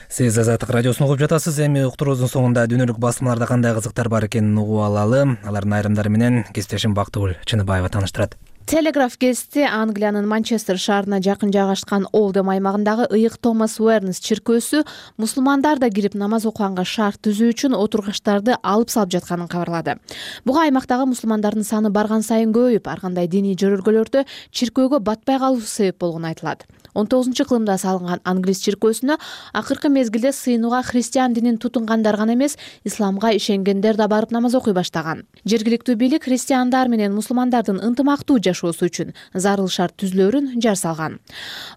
A: Сиз Азаттык радиосун угуп жатасыз. Эми уктуруубуздун соңунда дүйнөлүк басмаларда кандай кызыктар бар экенин угуп алалы. Алардын айрымдары менен кесиптешим Бактыгүл Чыныбаева тааныштырат.
E: Телеграф гезити Англиянын Манчестер шаарына жакын жайгашкан Олдем аймагындагы ыйык Томас Уэрнс чиркөөсү мусулмандар да кирип намаз окуганга шарт түзүү үчүн отургучтарды алып салып жатканын кабарлады. Буга аймактагы мусулмандардын саны барган сайын көбөйүп, ар кандай диний жөрөлгөлөрдө чиркөөгө батпай калуу себеп болгону айтылат. он тогузунчу кылымда салынган англис чиркөөсүнө акыркы мезгилде сыйынууга христиан динин тутунгандар гана эмес, исламга ишенгендер да барып намаз окуй баштаган. Жергиликтүү бийлик христиандар менен мусулмандардын ынтымактуу жашоосу үчүн зарыл шарт түзүлөөрүн жар салган.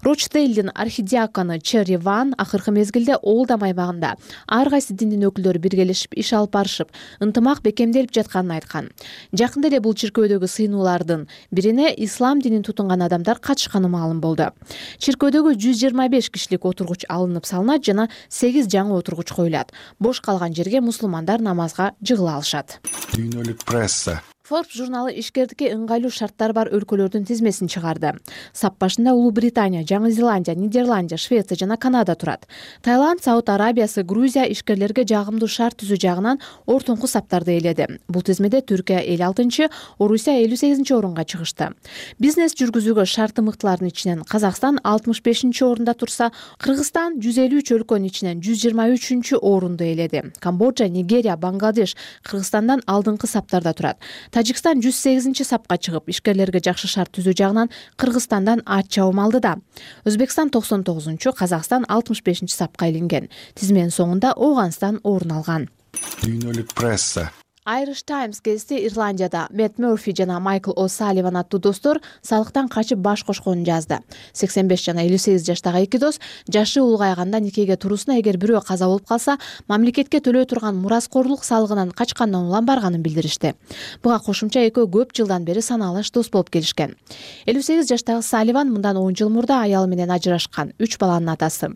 E: Рочдейлдин архидиакону Черри Ван акыркы мезгилде Олдем аймагында ар кайсы диндин өкүлдөрү биргелешип иш алып барышып, ынтымак бекемделип жатканын айткан. Жакында эле бул чиркөөдөгү сыйынуулардын бирине ислам динин тутунган адамдар катышканы маалым болду. Чиркөөдөгү жүз жыйырма беш кишилик отургуч алынып салынат жана сегиз жаңы отургуч коюлат. Бош калган жерге мусулмандар намазга жыгыла алышат.
N: Дүйнөлүк пресса.
E: Forbes журналы ишкердикке ыңгайлуу шарттар бар өлкөлөрдүн тизмесин чыгарды. Сап башында Улуу Британия, Жаңы Зеландия, Нидерландия, Швеция жана Канада турат. Таиланд, Сауд Арабиясы, Грузия ишкерлерге жагымдуу шарт түзүү жагынан ортоңку саптарды ээледи. Бул тизмеде Түркия элүү алтынчы, Орусия элүү сегизинчи орунга чыгышты. Бизнес жүргүзүүгө шарты мыктылардын ичинен Казакстан алтымыш бешинчи орунда турса, Кыргызстан жүз элүү үч өлкөнүн ичинен жүз жыйырма үчүнчү орунду ээледи. Камбоджа, Нигерия, Бангладеш Кыргызстандан алдыңкы саптарда турат. Тажикстан жүз сегизинчи сапка чыгып, ишкерлерге жакшы шарт түзүү жагынан Кыргызстандан ат чабым алды да. Өзбекстан токсон тогузунчу, Казакстан алтымыш бешинчи сапка илинген. Тизменин соңунда Ооганстан орун алган.
N: Дүйнөлүк пресса.
E: Irish Times гезити Ирландияда Мэтт Мерфи жана Майкл О'Салливан аттуу достор салыктан качып баш кошконун жазды. сексен беш жана элүү сегиз жаштагы эки дос жашы улгайганда никеге турусуна эгер бирөө каза болуп калса, мамлекетке төлөө турган мураскорлук салыгынан качкандан улам барганын билдиришти. Буга кошумча экөө көп жылдан бери санаалаш дос болуп келишкен. элүү сегиз жаштагы Салливан мындан он жыл мурда аялы менен ажырашкан, үч баланын атасы.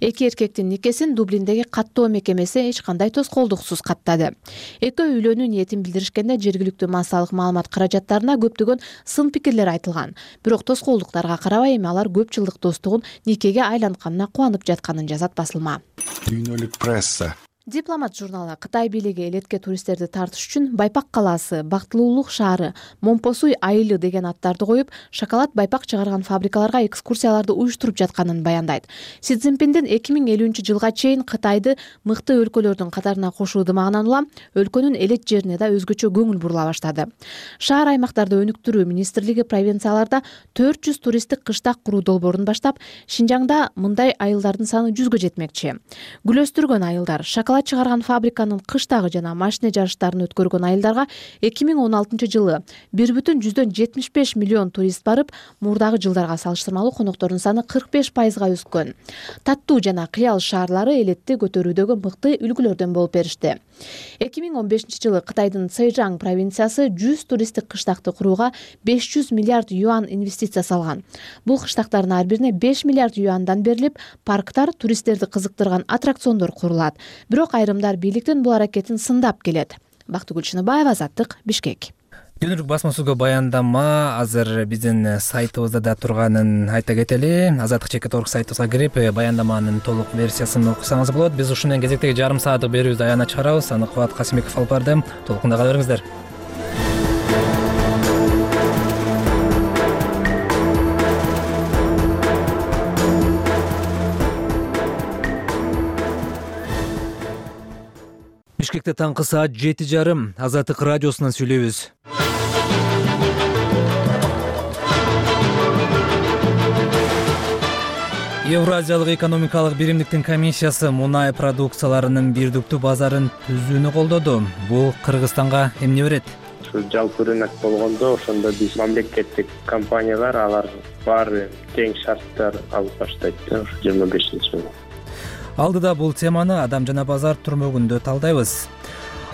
E: Эки эркектин никесин Дублиндеги каттоо мекемеси эч кандай тоскоолдуксуз каттады. Экөө ниетин билдиришкенде жергиликтүү массалык маалымат каражаттарына көптөгөн сын пикирлер айтылган. Бирок тоскоолдуктарга карабай эми алар көп жылдык достугун никеге айлантканына кубанып жатканын жазат басылма.
N: Дүйнөлүк пресса.
E: Дипломат журналы Кытай бийлиги элетке туристтерди тартыш үчүн Байпак калаасы, Бактылуулук шаары, Момпосуй айылы деген аттарды коюп, шоколад байпак чыгарган фабрикаларга экскурсияларды уюштуруп жатканын баяндайт. Си Цзиньпиндин эки миң элүүнчү жылга чейин Кытайды мыкты өлкөлөрдүн катарына кошуу дымагынан улам өлкөнүн элет жерине да өзгөчө көңүл бурула баштады. Шаар аймактарды өнүктүрүү министрлиги провинцияларда төрт жүз туристтик кыштак куруу долбоорун баштап, Шинжаңда мындай айылдардын саны жүзгө жетмекчи. Гүл өстүргөн айылдар, шоколад буга чыгарган фабриканын кыштагы жана машина жарыштарын өткөргөн айылдарга эки миң он алтынчы жылы бир бүтүн жүздөн жетимиш беш миллион турист барып, мурдагы жылдарга салыштырмалуу коноктордун саны кырк беш пайызга өскөн. Таттуу жана Кыял шаарлары элетти көтөрүүдөгү мыкты үлгүлөрдөн болуп беришти. эки миң он бешинчи жылы Кытайдын Цзэжаң провинциясы жүз туристтик кыштакты курууга беш жүз миллиард юан инвестиция салган. Бул кыштактардын ар бирине беш миллиард юандан берилип, парктар, туристтерди кызыктырган аттракциондор курулат. Бирок айрымдар бийликтин бул аракетин сындап келет. Бактыгүл Чыныбаева, Азаттык, Бишкек.
A: Дүйнөлүк басма сөзгө баяндама азыр биздин сайтыбызда да турганын айта кетели. азаттык чекит точка орг сайтыбызга кирип, баяндаманын толук версиясын окусаңыз болот. Биз ушундан кезектеги жарым сааттык берүүбүздү аягына чыгарабыз. Аны Кубат Касымбеков алып барды. Толукунда кала бериңиздер. Бишкекте таңкы саат жети жарым. Азаттык радиосунан сүйлөйбүз. Евразиялык экономикалык биримдиктин комиссиясы мунай продукцияларынын бирдиктүү базарын түзүүнү колдоду. Бул Кыргызстанга эмне берет?
C: Жалпы рынок болгондо ошондо биз мамлекеттик компаниялар алар баары тең шарттар алып баштайт да жыйырма бешинчи жылы.
A: Алдыда бул теманы Адам жана базар түрмөгүндө талдайбыз.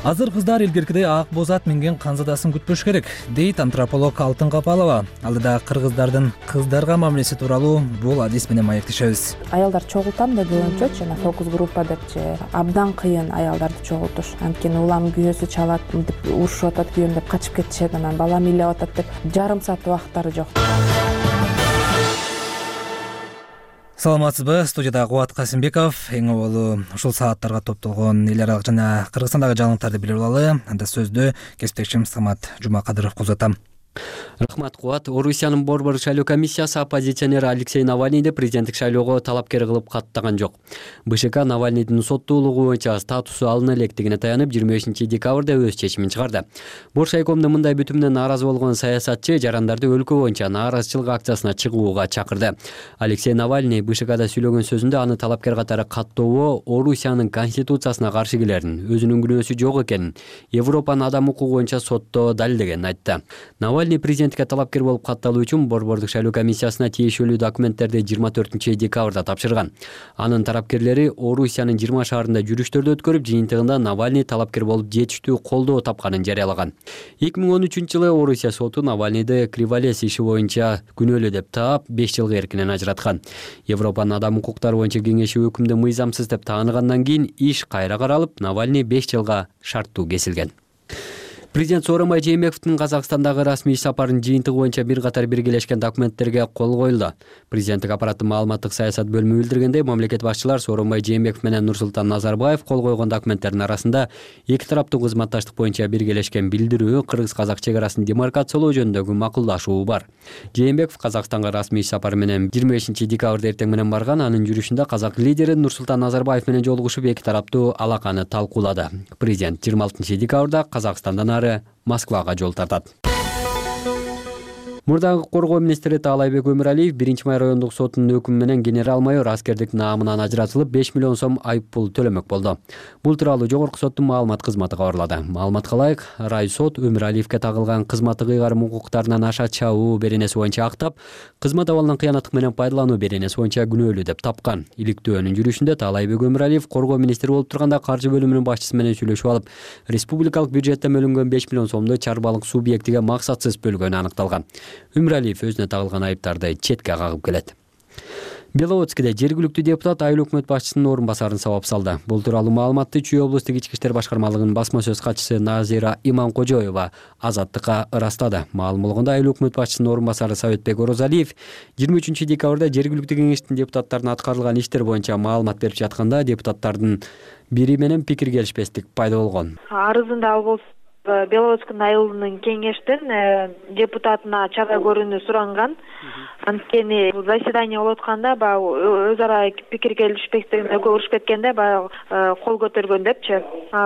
A: Азыр кыздар илгеркидей ак боз ат минген канзадасын күтпөш керек, дейт антрополог Алтын Капалова. Алдыда кыргыздардын кыздарга мамилеси тууралуу бул адис менен маектешебиз.
F: Аялдар чогултам деп боюнча жана фокус группа депчи абдан кыйын аялдарды чогултуш. Анткени улам күйөөсү чалат, мынтип урушуп атат күйөөм деп качып кетишет, анан балам ыйлап атат деп жарым саат убакыттары жок.
A: Саламатсызбы? Студияда Кубат Касымбеков. Эң оболу ушул сааттарга топтолгон эл аралык жана Кыргызстандагы жаңылыктарды билип алалы. Анда сөздү кесиптешим Самат Жумакадыров узатам.
G: Рахмат, Кубат. Орусиянын борбор шайлоо комиссиясы оппозиционер Алексей Навальныйды президенттик шайлоого талапкер кылып каттаган жок. БШК Навальныйдын соттуулугу боюнча статусу алына электигине таянып, жыйырма бешинчи декабрда өз чечимин чыгарды. Боршайкомдо мындай бүтүмүнөн нааразы болгон саясатчы жарандарды өлкө боюнча нааразычылык акциясына чыгууга чакырды. Алексей Навальный БШКда сүйлөгөн сөзүндө аны талапкер катары каттоого Орусиянын конституциясына каршы келерин, өзүнүн күнөөсү жок экенин, Европанын адам укугу боюнча сотто далилдегенин айтты. Навальный президентке талапкер болуп катталуу үчүн борбордук шайлоо комиссиясына тиешелүү документтерди жыйырма төртүнчү декабрда тапшырган. Анын тарапкерлери Орусиянын жыйырма шаарында жүрүштөрдү өткөрүп, жыйынтыгында Навальный талапкер болуп жетиштүү колдоо тапканын жарыялаган. эки миң он үчүнчү жылы Орусия соту Навальныйды Криволес иши боюнча күнөөлүү деп таап, беш жылга эркинен ажыраткан. Европанын адам укуктары боюнча кеңеши өкүмдү мыйзамсыз деп тааныгандан кийин иш кайра каралып, Навальный беш жылга шарттуу кесилген. Президент Сооронбай Жээнбековдун Казакстандагы расмий иш сапарынын жыйынтыгы боюнча бир катар биргелешкен документтерге кол коюлду. Президенттик аппараттын маалыматтык саясат бөлүмү билдиргендей, мамлекет башчылар Сооронбай Жээнбеков менен Нурсултан Назарбаев кол койгон документтердин арасында эки тараптуу кызматташтык боюнча биргелешкен билдирүү, кыргыз-казак чек арасын демаркациялоо жөнүндөгү макулдашуу бар. Жээнбеков Казакстанга расмий иш сапары менен жыйырма бешинчи декабрда эртең менен барган. Анын жүрүшүндө казак лидери Нурсултан Назарбаев менен жолугушуп, эки тараптуу алаканы талкуулады. Президент жыйырма алтынчы декабрда Казакстандан ары Москвага жол тартат. Мурдагы коргоо министри Таалайбек Өмүралиев биринчи май райондук сотунун өкүмү менен генерал-майор аскердик наамынан ажыратылып, беш миллион сом айып пул төлөмөк болду. Бул тууралуу жогорку соттун маалымат кызматы кабарлады. Маалыматка ылайык, райсот Өмүралиевке тагылган кызматтык ыйгарым укуктарынан аша чабуу беренеси боюнча актап, кызмат абалынан кыянаттык менен пайдалануу беренеси боюнча күнөөлүү деп тапкан. Иликтөөнүн жүрүшүндө Таалайбек Өмүралиев коргоо министри болуп турганда каржы бөлүмүнүн башчысы менен сүйлөшүп алып, республикалык бюджеттен бөлүнгөн беш миллион сомду чарбалык субъектиге максатсыз бөлгөнү аныкталган. Өмүралиев өзүнө тагылган айыптарды четке кагып келет. Беловодскиде жергиликтүү депутат айыл өкмөт башчысынын орун басарын сабап салды. Бул тууралуу маалыматты Чүй облустук ички иштер башкармалыгынын басма сөз катчысы Назира Иманкожоева Азаттыкка ырастады. Маалым болгондо айыл өкмөт башчысынын орун басары Советбек Орозалиев жыйырма үчүнчү декабрда жергиликтүү кеңештин депутаттарына аткарылган иштер боюнча маалымат берип жатканда депутаттардын бири менен пикир келишпестик пайда болгон.
X: Арызында ал болсо Беловодскинин айылынын кеңештин депутатына чара көрүүнү суранган. Анткени заседание болуп атканда баягы өз ара пикир келишпестигине көрүшүп кеткенде баягы кол көтөргөн депчи.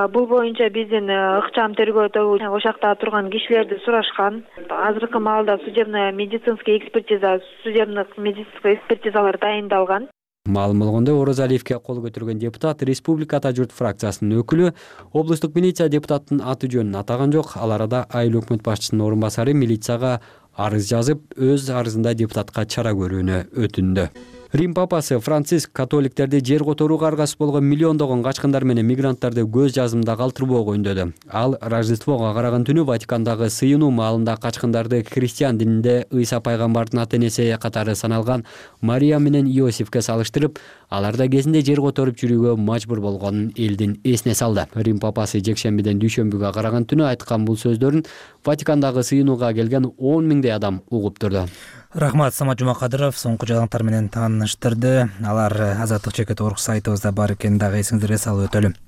X: Бул боюнча биздин ыкчам тергөөдөгү ошол жакта турган кишилерди сурашкан. Азыркы маалда судебно медицинский экспертиза, судебный медицинский экспертизалар дайындалган.
G: Маалым болгондой, Орозалиевке кол көтөргөн депутат Республика Ата журт фракциясынын өкүлү облустук милиция депутатынын аты жөнүн атаган жок. Ал арада айыл өкмөт башчысынын орун басары милицияга арыз жазып, өз арызында депутатка чара көрүүнү өтүндү. Рим папасы Франциск католиктерди жер которууга аргасыз болгон миллиондогон качкындар менен мигранттарды көз жазымда калтырбоого үндөдү. Ал Рождествого караган түнү Ватикандагы сыйынуу маалында качкындарды христиан дининде Ыйса пайгамбардын ата-энеси катары саналган Мария менен Иосифке салыштырып, аларда кезинде жер которуп жүрүүгө мажбур болгонун элдин эсине салды. Рим папасы жекшембиден дүйшөмбүгө караган түнү айткан бул сөздөрүн Ватикандагы сыйынууга келген он миңдей адам угуп турду.
A: Рахмат, Самат Жумакадыров соңку жаңылыктар менен тааныштырды. Алар Азаттык чекит орг сайтыбызда бар экенин дагы эсиңиздерге салып өтөлүм.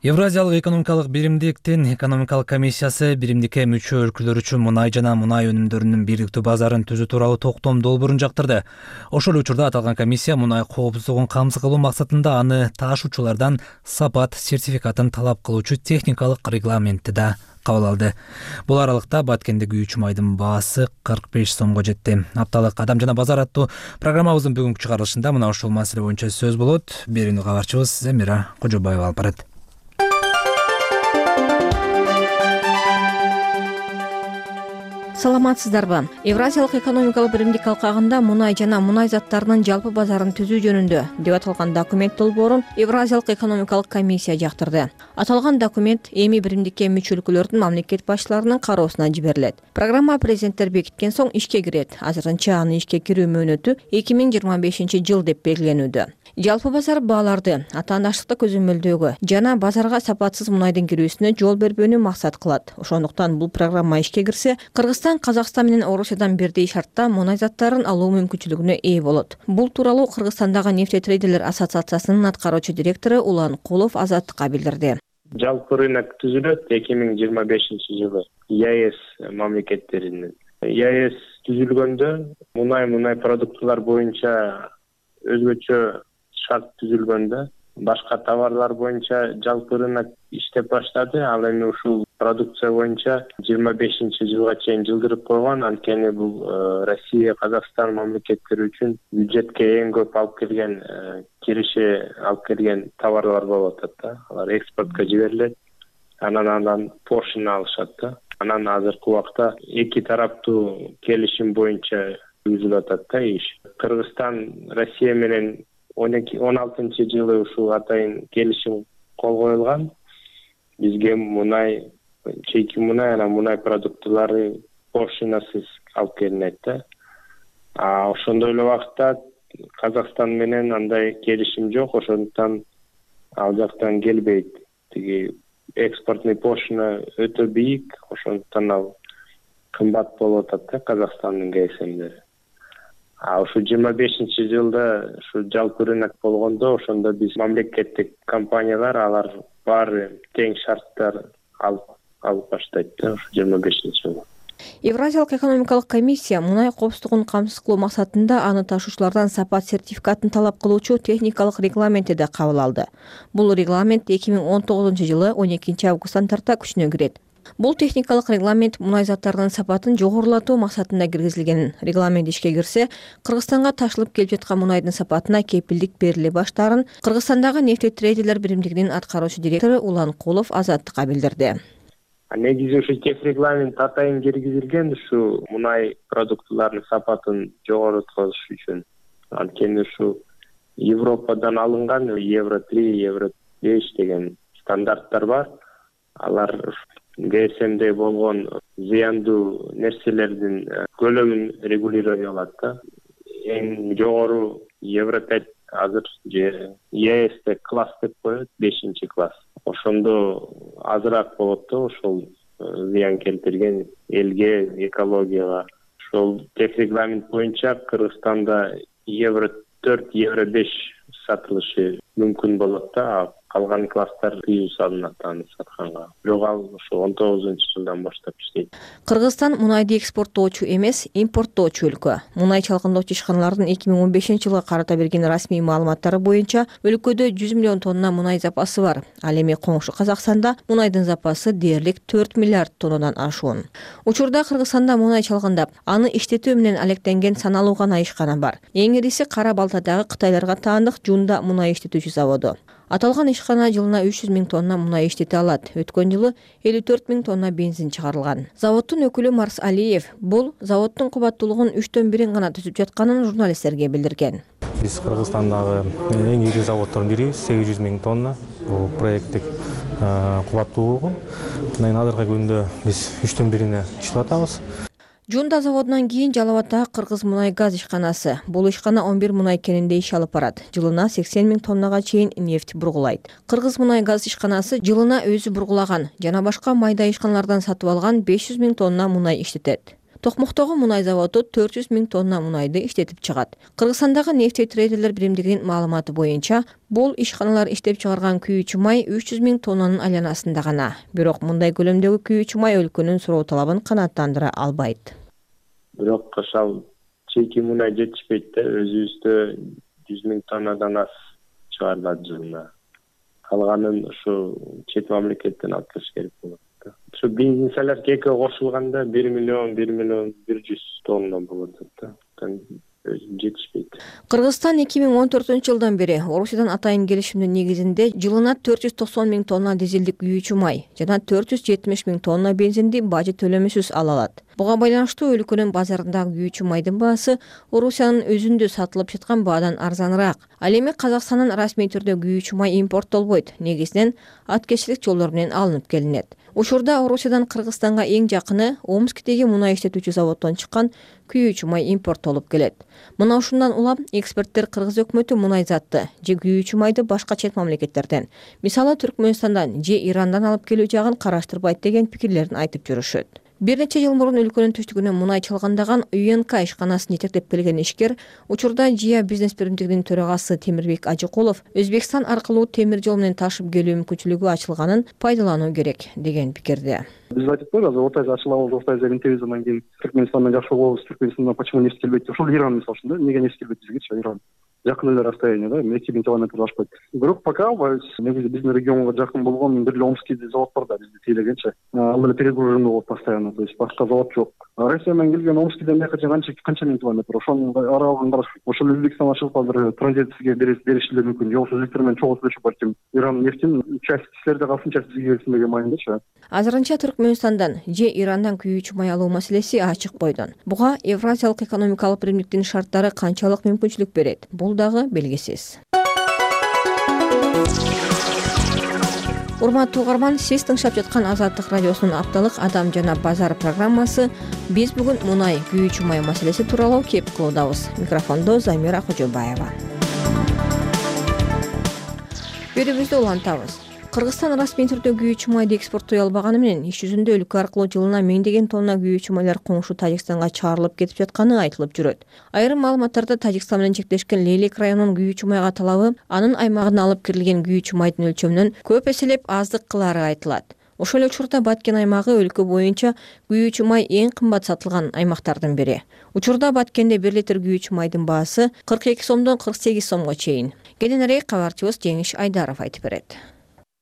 A: Евразиялык экономикалык биримдиктин экономикалык комиссиясы биримдикке мүчө өлкөлөр үчүн мунай жана мунай өнүмдөрүнүн бирдиктүү базарын түзүү тууралуу токтом долбоорун жактырды. Ошол учурда аталган комиссия мунай коопсуздугун камсыз кылуу максатында аны таашуучулардан сапат сертификатын талап кылуучу техникалык регламентти да кабыл алды. Бул аралыкта Баткендеги үч майдын баасы кырк беш сомго жетти. Апталык Адам жана базар аттуу программабыздын бүгүнкү чыгарылышында мына ушул маселе боюнча сөз болот. Берүүнү кабарчыбыз Замира Кожобаева алып барат.
D: Саламатсыздарбы? Евразиялык экономикалык биримдик алкагында мунай жана мунай заттарынын жалпы базарын түзүү жөнүндө деп аталган документ долбоорун Евразиялык экономикалык комиссия жактырды. Аталган документ эми биримдикке мүчө өлкөлөрдүн мамлекет башчыларынын кароосуна жиберилет. Программа президенттер бекиткен соң ишке кирет. Азырынча анын ишке кирүү мөөнөтү эки миң жыйырма бешинчи жыл деп белгиленүүдө. Жалпы базар бааларды атаандаштыкты көзөмөлдөөгө жана базарга сапатсыз мунайдын кирүүсүнө жол бербөөнү максат кылат. Ошондуктан бул программа ишке кирсе, Кыргызстан Казакстан менен Орусиядан бирдей шартта мунай заттарын алуу мүмкүнчүлүгүнө ээ болот. Бул тууралуу Кыргызстандагы нефтетрейдерлер ассоциациясынын аткаруучу директору Улан Кулов Азаттыкка билдирди.
C: Жалпы рынок түзүлөт эки миң жыйырма бешинчи жылы ЕАЭС мамлекеттеринин. ЕАЭС түзүлгөндө мунай мунай продуктылар боюнча өзгөчө шарт түзүлгөндө башка товарлар боюнча жалпы рынок иштеп баштады. Ал эми ушул продукция боюнча жыйырма бешинчи жылга чейин жылдырып койгон. Анткени бул Россия, Казакстан мамлекеттери үчүн бюджетке эң көп алып келген, киреше алып келген товарлар болуп атат да. Алар экспортко жиберилет. Анан андан поршын алышат да. Анан азыркы убакта эки тараптуу келишим боюнча жүргүзүлүп атат да иш. Кыргызстан Россия менен он алтынчы жылы ушул атайын келишим кол коюлган. Бизге мунай, чейки мунай, анан мунай продуктылары поршунасыз алып келинет да. А ошондой эле убакта Казакстан менен андай келишим жок, ошондуктан ал жактан келбейт. Тиги экспортный поршуна өтө бийик, ошондуктан ал кымбат болуп атат да Казакстандын КСМдери. А ушу жыйырма бешинчи жылда ушу жалпы рынок болгондо, ошондо биз мамлекеттик компаниялар алар баары тең шарттар алып алып баштайт да ушу жыйырма бешинчи жылы.
D: Евразиялык экономикалык комиссия мунай коопсуздугун камсыз кылуу максатында аны ташуучулардан сапат сертификатын талап кылуучу техникалык регламентти да кабыл алды. Бул регламент эки миң он тогузунчу жылы он экинчи августтан тарта күчүнө кирет. Бул техникалык регламент мунай заттарынын сапатын жогорулатуу максатында киргизилген. Регламент ишке кирсе, Кыргызстанга ташылып келип жаткан мунайдын сапатына кепилдик бериле баштаарын Кыргызстандагы нефтетрейдерлер биримдигинин аткаруучу директору Улан Кулов Азаттыкка билдирди.
C: Негизи ушу тех регламент атайын киргизилген ушу мунай продуктыларынын сапатын жогорутуш үчүн. Анткени ушу Европадан алынган евро три, евро беш деген стандарттар бар. Алар КСМде болгон зыяндуу нерселердин көлөмүн регулировать кылат да. Эң жогору евро пять азыр же ЕАЭСте класс деп коет, бешинчи класс. Ошондо азыраак болот да ошол зыян келтирген элге, экологияга. Ошол тех регламент боюнча Кыргызстанда евро төрт, евро беш сатылышы мүмкүн болот да. калган класстар тыюу салынат аны сатканга. Бирок ал ошо он тогузунчу жылдан баштап иштейт.
D: Кыргызстан мунайды экспорттоочу эмес, импорттоочу өлкө. Мунай чалгындоочу ишканалардын эки миң он бешинчи жылга карата берген расмий маалыматтары боюнча өлкөдө жүз миллион тонна мунай запасы бар. Ал эми коңшу Казакстанда мунайдын запасы дээрлик төрт миллиард тоннадан ашуун. Учурда Кыргызстанда мунай чалгындап, аны иштетүү менен алектенген саналуу гана ишкана бар. Эң ириси Кара Балтадагы Кытайларга таандык Жунда мунай иштетүүчү заводу. Аталган ишкана жылына үч жүз миң тонна мунай иштете алат. Өткөн жылы элүү төрт миң тонна бензин чыгарылган. Заводдун өкүлү Марс Алиев бул заводдун кубаттуулугун үчтөн бирин гана түзүп жатканын журналисттерге билдирген.
H: Биз Кыргызстандагы эң ири заводдордун бири, сегиз жүз миң тонна бул проекттик кубаттуулугу. Мына азыркы күндө биз үчтөн бирине иштеп атабыз.
D: Жунда заводунан кийин Жалал Абаддагы Кыргыз мунай газ ишканасы. Бул ишкана он бир мунай кенинде иш алып барат. Жылына сексен миң тоннага чейин нефть бургулайт. Кыргыз мунай газ ишканасы жылына өзү бургулаган жана башка майда ишканалардан сатып алган беш жүз миң тонна мунай иштетет. Токмоктогу мунай заводу төрт жүз миң тонна мунайды иштетип чыгат. Кыргызстандагы нефть трейдерлер биримдигинин маалыматы боюнча, бул ишканалар иштеп чыгарган күйүүчү май үч жүз миң тоннанын айланасында гана. Бирок мындай көлөмдөгү күйүүчү май өлкөнүн суроо талабын канааттандыра албайт.
C: Бирок ошол чейки мунай жетишпейт да, өзүбүздө жүз миң тоннадан аз чыгарылат жылына. Калганын ушу чет мамлекеттен алып келиш керек болот. Ушу бензин солярка экөө кошулганда бир миллион, бир миллион бир жүз тонна болот да. Өзү жетишпейт.
D: Кыргызстан эки миң он төртүнчү жылдан бери Орусиядан атайын келишимдин негизинде жылына төрт жүз токсон миң тонна дизелдик күйүүчү май жана төрт жүз жетимиш миң тонна бензинди бажы төлөмүсүз ала алат. Буга байланыштуу өлкөнүн базарындагы күйүүчү майдын баасы Орусиянын өзүндө сатылып жаткан баадан арзаныраак. Ал эми Казакстандын расмий түрдө күйүүчү май импорттолбойт, негизинен аткечилик жолдор менен алынып келинет. Учурда Орусиядан Кыргызстанга эң жакыны Омскдеги мунай иштетүүчү заводдон чыккан күйүүчү май импорттолуп келет. Мына ушундан улам эксперттер Кыргыз өкмөтү мунай затты же күйүүчү майды башка чет мамлекеттерден, мисалы Түркмөнстандан же Ирандан алып келүү жагын караштырбайт деген пикирлерин айтып жүрүшөт. Бир нече жыл мурун өлкөнүн түштүгүнөн мунай чалгандаган ю эн ка ишканасын жетектеп келген ишкер учурда Жия бизнес биримдигинин төрагасы Темирбек Ажыкулов Өзбекстан аркылуу темир жол менен ташып келүү мүмкүнчүлүгү ачылганын пайдалануу керек деген пикирде.
I: Биз айтып койгуз, Орта Азия ачылабыз, Орта Азия интебиз, анан кийин Түркмөнстандан жакшы болобуз, Түркмөнстандан почему нефть келбейт? Ошол Иран мисалы үчүн да, эмнеге нефть келбейт бизгечи? Иран жакын эле расстояние да, эки миң километр ашпайт. Бирок пока негизи биздин регионго жакын болгон бир эле Омский завод бар да, бизди тейлегенчи. Ал эле перегруженный болот постоянно, то есть башка завод жок. Россия менен келген Омскийден бияка канча канча миң километр, ошонун аралыгын караш. Ошол Өзбекстан ашып азыр транзитсизге беришилер мүмкүн. Жоксо Өзбектер менен чогуу сүйлөшүп барчу. Иран нефтин часть силерде калсын, часть бизге келсин деген маегинчи.
D: Азырынча Түркмөнстандан же Ирандан күйүүчү май алуу маселеси ачык бойдон. Буга Евразиялык экономикалык биримдиктин шарттары канчалык мүмкүнчүлүк берет? Бул дагы белгисиз. Урматтуу угарман, сиз тыңшап жаткан Азаттык радиосунун апталык Адам жана базар программасы. Биз бүгүн мунай, күйүүчү май маселеси тууралуу кеп кылуудабыз. Микрофондо Замира Кожобаева. Берүүбүздү улантабыз. Кыргызстан расмий түрдө күйүүчү майды экспорттой албаганы менен иш жүзүндө өлкө аркылуу жылына миңдеген тонна күйүүчү майлар коңшу Тажикстанга чыгарылып кетип жатканы айтылып жүрөт. Айрым маалыматтарда Тажикстан менен чектешкен Лейлек районунун күйүүчү майга талабы анын аймагына алып кирилген күйүүчү майдын өлчөмүнөн көп эселеп аздык кылары айтылат. Ошол эле учурда Баткен аймагы өлкө боюнча күйүүчү май эң кымбат сатылган аймактардын бири. Учурда Баткенде бир литр күйүүчү майдын баасы кырк эки сомдон кырк сегиз сомго чейин. Кененирээк кабарчыбыз Жеңиш Айдаров айтып берет.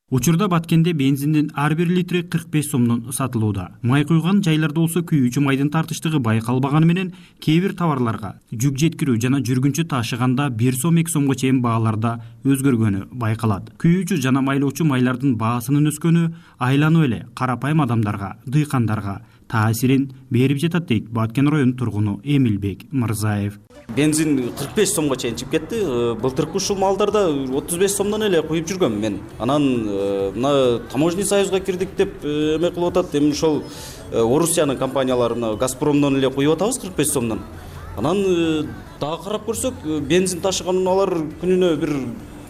J: Учурда Баткенде бензиндин ар бир литри кырк беш сомдон сатылууда. Май куйган жайларда болсо күйүүчү майдын тартыштыгы байкалбаганы менен кээ бир товарларга жүк жеткирүү жана жүргүнчү ташыганда бир сом эки сомго чейин бааларда өзгөргөнү байкалат. Күйүүчү жана майлоочу майлардын баасынын өскөнү айланып эле карапайым адамдарга, дыйкандарга таасирин берип жатат дейт Баткен районунун тургуну Эмилбек Мырзаев.
K: Бензин кырк беш сомго чейин чыгып кетти. Былтыркы ушул малдарда отуз беш сомдон эле куюп жүргөм мен. Анан мына таможенный союзга кирдик деп эме кылып атат. Эми ошол Орусиянын компаниялары мына Газпромдон эле куюп атабыз кырк беш сомдон. Анан дагы карап көрсөк, бензин ташыган унаалар күнүнө бир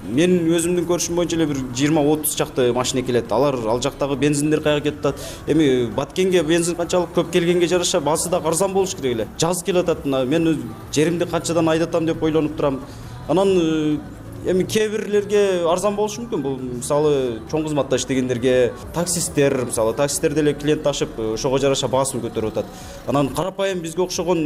K: мен өзүмдүн көрүшүм боюнча эле бир жыйырма отуз чакты машина келет. Алар ал жактагы бензиндер каяга кетип атат. Эми Баткенге бензин канчалык көп келгенге жараша баасы да арзан болуш керек эле. Жаз келип атат. Мен жеримди канчадан айдатам деп ойлонуп турам. Анан эми кээ бирлерге арзан болушу мүмкүн. Бул мисалы чоң кызматта иштегендерге, таксисттер, мисалы таксисттер деле клиент ташып ошого жараша баасын көтөрүп атат. Анан карапайым бизге окшогон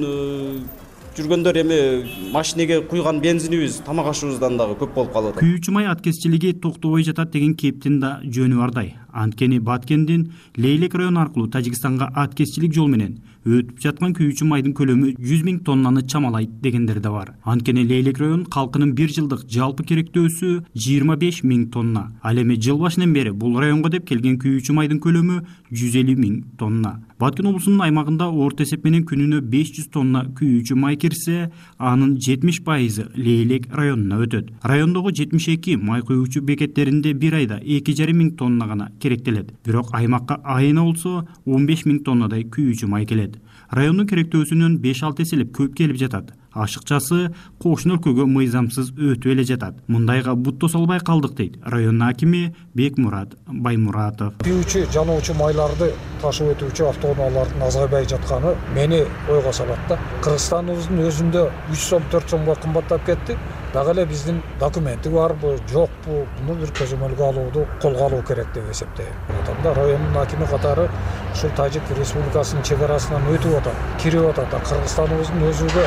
K: жүргөндөр эми машинеге куйган бензинибиз тамак ашыбыздан дагы көп болуп калып атат.
J: Күйүүчү май аткезчилиги токтобой жатат деген кептин да жөнү бардай. Анткени Баткендин Лейлек району аркылуу Тажикстанга аткезчилик жол менен өтүп жаткан күйүүчү майдын көлөмү жүз миң тоннаны чамалайт дегендер да бар. Анткени Лейлек районунун калкынын бир жылдык жалпы керектөөсү жыйырма беш миң тонна. Ал эми жыл башынан бери бул районго деп келген күйүүчү майдын көлөмү жүз элүү миң тонна. Баткен облусунун аймагында орто эсеп менен күнүнө беш жүз тонна күйүүчү май кирсе, анын жетимиш пайызы Лейлек районуна өтөт. Райондогу жетимиш эки май куюучу бекеттеринде бир айда эки жарым миң тонна гана керектелет. Бирок аймакка айына болсо он беш миң тоннадай күйүүчү май келет. Райондун керектөөсүнөн беш алты эселеп көп келип жатат. Ашыкчасы кошуна өлкөгө мыйзамсыз өтүп эле жатат. Мындайга бут тоса албай калдык дейт районун акими Бекмурат Баймуратов.
M: Күйүүчү жануучу майларды ташып өтүүчү автоунаалардын азайбай жатканы мени ойго салат да. Кыргызстаныбыздын өзүндө үч сом төрт сомго кымбаттап кетти. Дагы эле биздин документи барбы, жокпу, муну бир көзөмөлгө алууну колго алуу керек деп эсептейм. Ошондо райондун акими катары ушул Тажик Республикасынын чек арасынан өтүп атат, кирип атат. Кыргызстаныбыздын өзүгө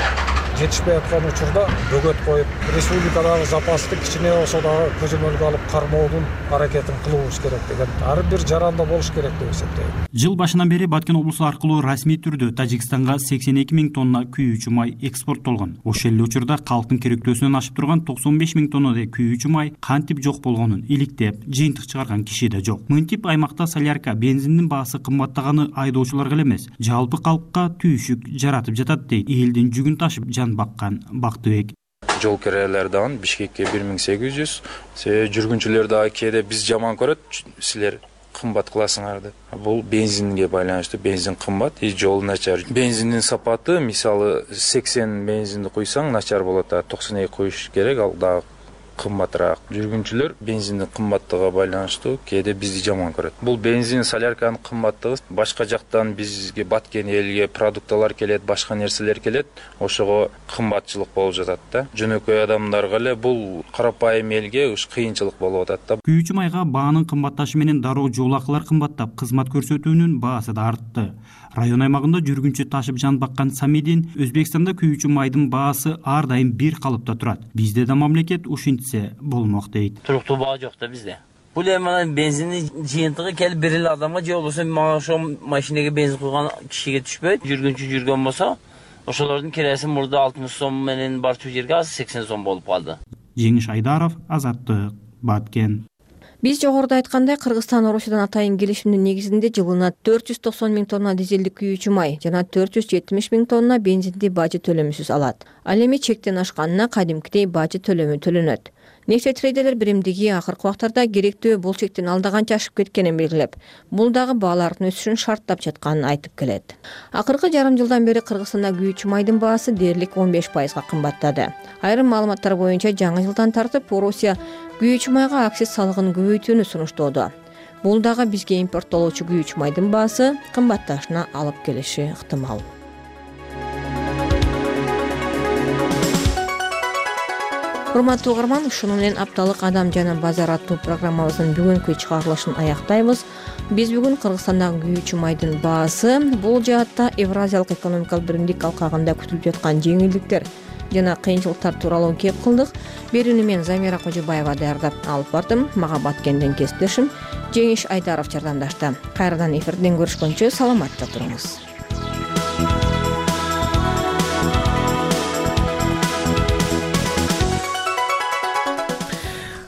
M: жетишпей аткан учурда бөгөт коюп, республикадагы запасты кичине болсо дагы көзөмөлгө алып кармоодун аракетин кылуубуз керек деген ар бир жаранда болуш керек деп эсептейм.
J: Жыл башынан бери Баткен облусу аркылуу расмий түрдө Тажикстанга сексен эки миң тонна күйүүчү май экспорттолгон. Ошол эле учурда калктын керектөөсүнөн ашып турган токсон беш миң тоннадай күйүүчү май кантип жок болгонун иликтеп, жыйынтык чыгарган киши да жок. Мынтип аймакта солярка, бензиндин баасы кымбаттаганы айдоочуларга эле эмес, жалпы калкка түйшүк жаратып жатат дейт элдин жүгүн ташып жан баккан Бактыбек.
O: Жол кирелер дагы Бишкекке бир миң сегиз жүз. Себеби жүргүнчүлөр дагы кээде биз жаман көрөт, силер кымбат кыласыңар деп. Бул бензинге байланыштуу, бензин кымбат, и жол начар. Бензиндин сапаты, мисалы сексен бензинди куйсаң начар болот, а токсон эки куюш керек, ал дагы кымбатыраак. Жүргүнчүлөр бензиндин кымбаттыгына байланыштуу кээде бизди жаман көрөт. Бул бензин, солярканын кымбаттыгы башка жактан бизге Баткен элге продукталар келет, башка нерселер келет, ошого кымбатчылык болуп жатат да. Жөнөкөй адамдарга эле бул карапайым элге уш кыйынчылык болуп атат да.
J: Күйүүчү майга баанын кымбатташы менен дароо жол акылар кымбаттап, кызмат көрсөтүүнүн баасы да артты. Район аймагында жүргүнчү ташып жан баккан Самидин Өзбекстанда күйүүчү майдын баасы ар дайым бир калыпта турат. Бизде да мамлекет ушинтсе болмок дейт.
P: Туруктуу баа жок да бизде. Бул эми бензиндин жыйынтыгы келип бир эле адамга же болбосо мага ошо машинеге бензин куйган кишиге түшпөйт. Жүргүнчү жүргөн болсо, ошолордун кирesi мурда алтымыш сом менен барчу жерге азыр сексен сом болуп калды.
J: Жеңиш Айдаров, Азаттык, Баткен.
D: Биз жогоруда айткандай, Кыргызстан Орусиядан атайын келишимдин негизинде жылына төрт жүз токсон миң тонна дизелдик күйүүчү май жана төрт жүз жетимиш миң тонна бензинди бажы төлөмүсүз алат. Ал эми чектен ашканына кадимкидей бажы төлөмү төлөнөт. Нефтетрейдерлер биримдиги акыркы убактарда керектөө бул чектен алда канча ашып кеткенин белгилеп, бул дагы баалардын өсүшүн шарттап жатканын айтып келет. Акыркы жарым жылдан бери Кыргызстанда күйүүчү майдын баасы дээрлик он беш пайызга кымбаттады. Айрым маалыматтар боюнча жаңы жылдан тартып Орусия күйүүчү майга акциз салыгын көбөйтүүнү сунуштоодо. Бул дагы бизге импорттолуучу күйүүчү майдын баасы кымбатташына алып келиши ыктымал. Урматтуу угарман, ушуну менен апталык Адам жана базар аттуу программабыздын бүгүнкү чыгарылышын аяктайбыз. Биз бүгүн Кыргызстандагы күйүүчү майдын баасы, бул жаатта Евразиялык экономикалык биримдик алкагында күтүлүп жаткан жеңилдиктер жана кыйынчылыктар тууралуу кеп кылдык. Берүүнү мен Замира Кожобаева даярдап алып бардым. Мага Баткенден кесиптешим Жеңиш Айдаров жардамдашты. Кайрадан эфирден көрүшкөнчө саламатта туруңуз.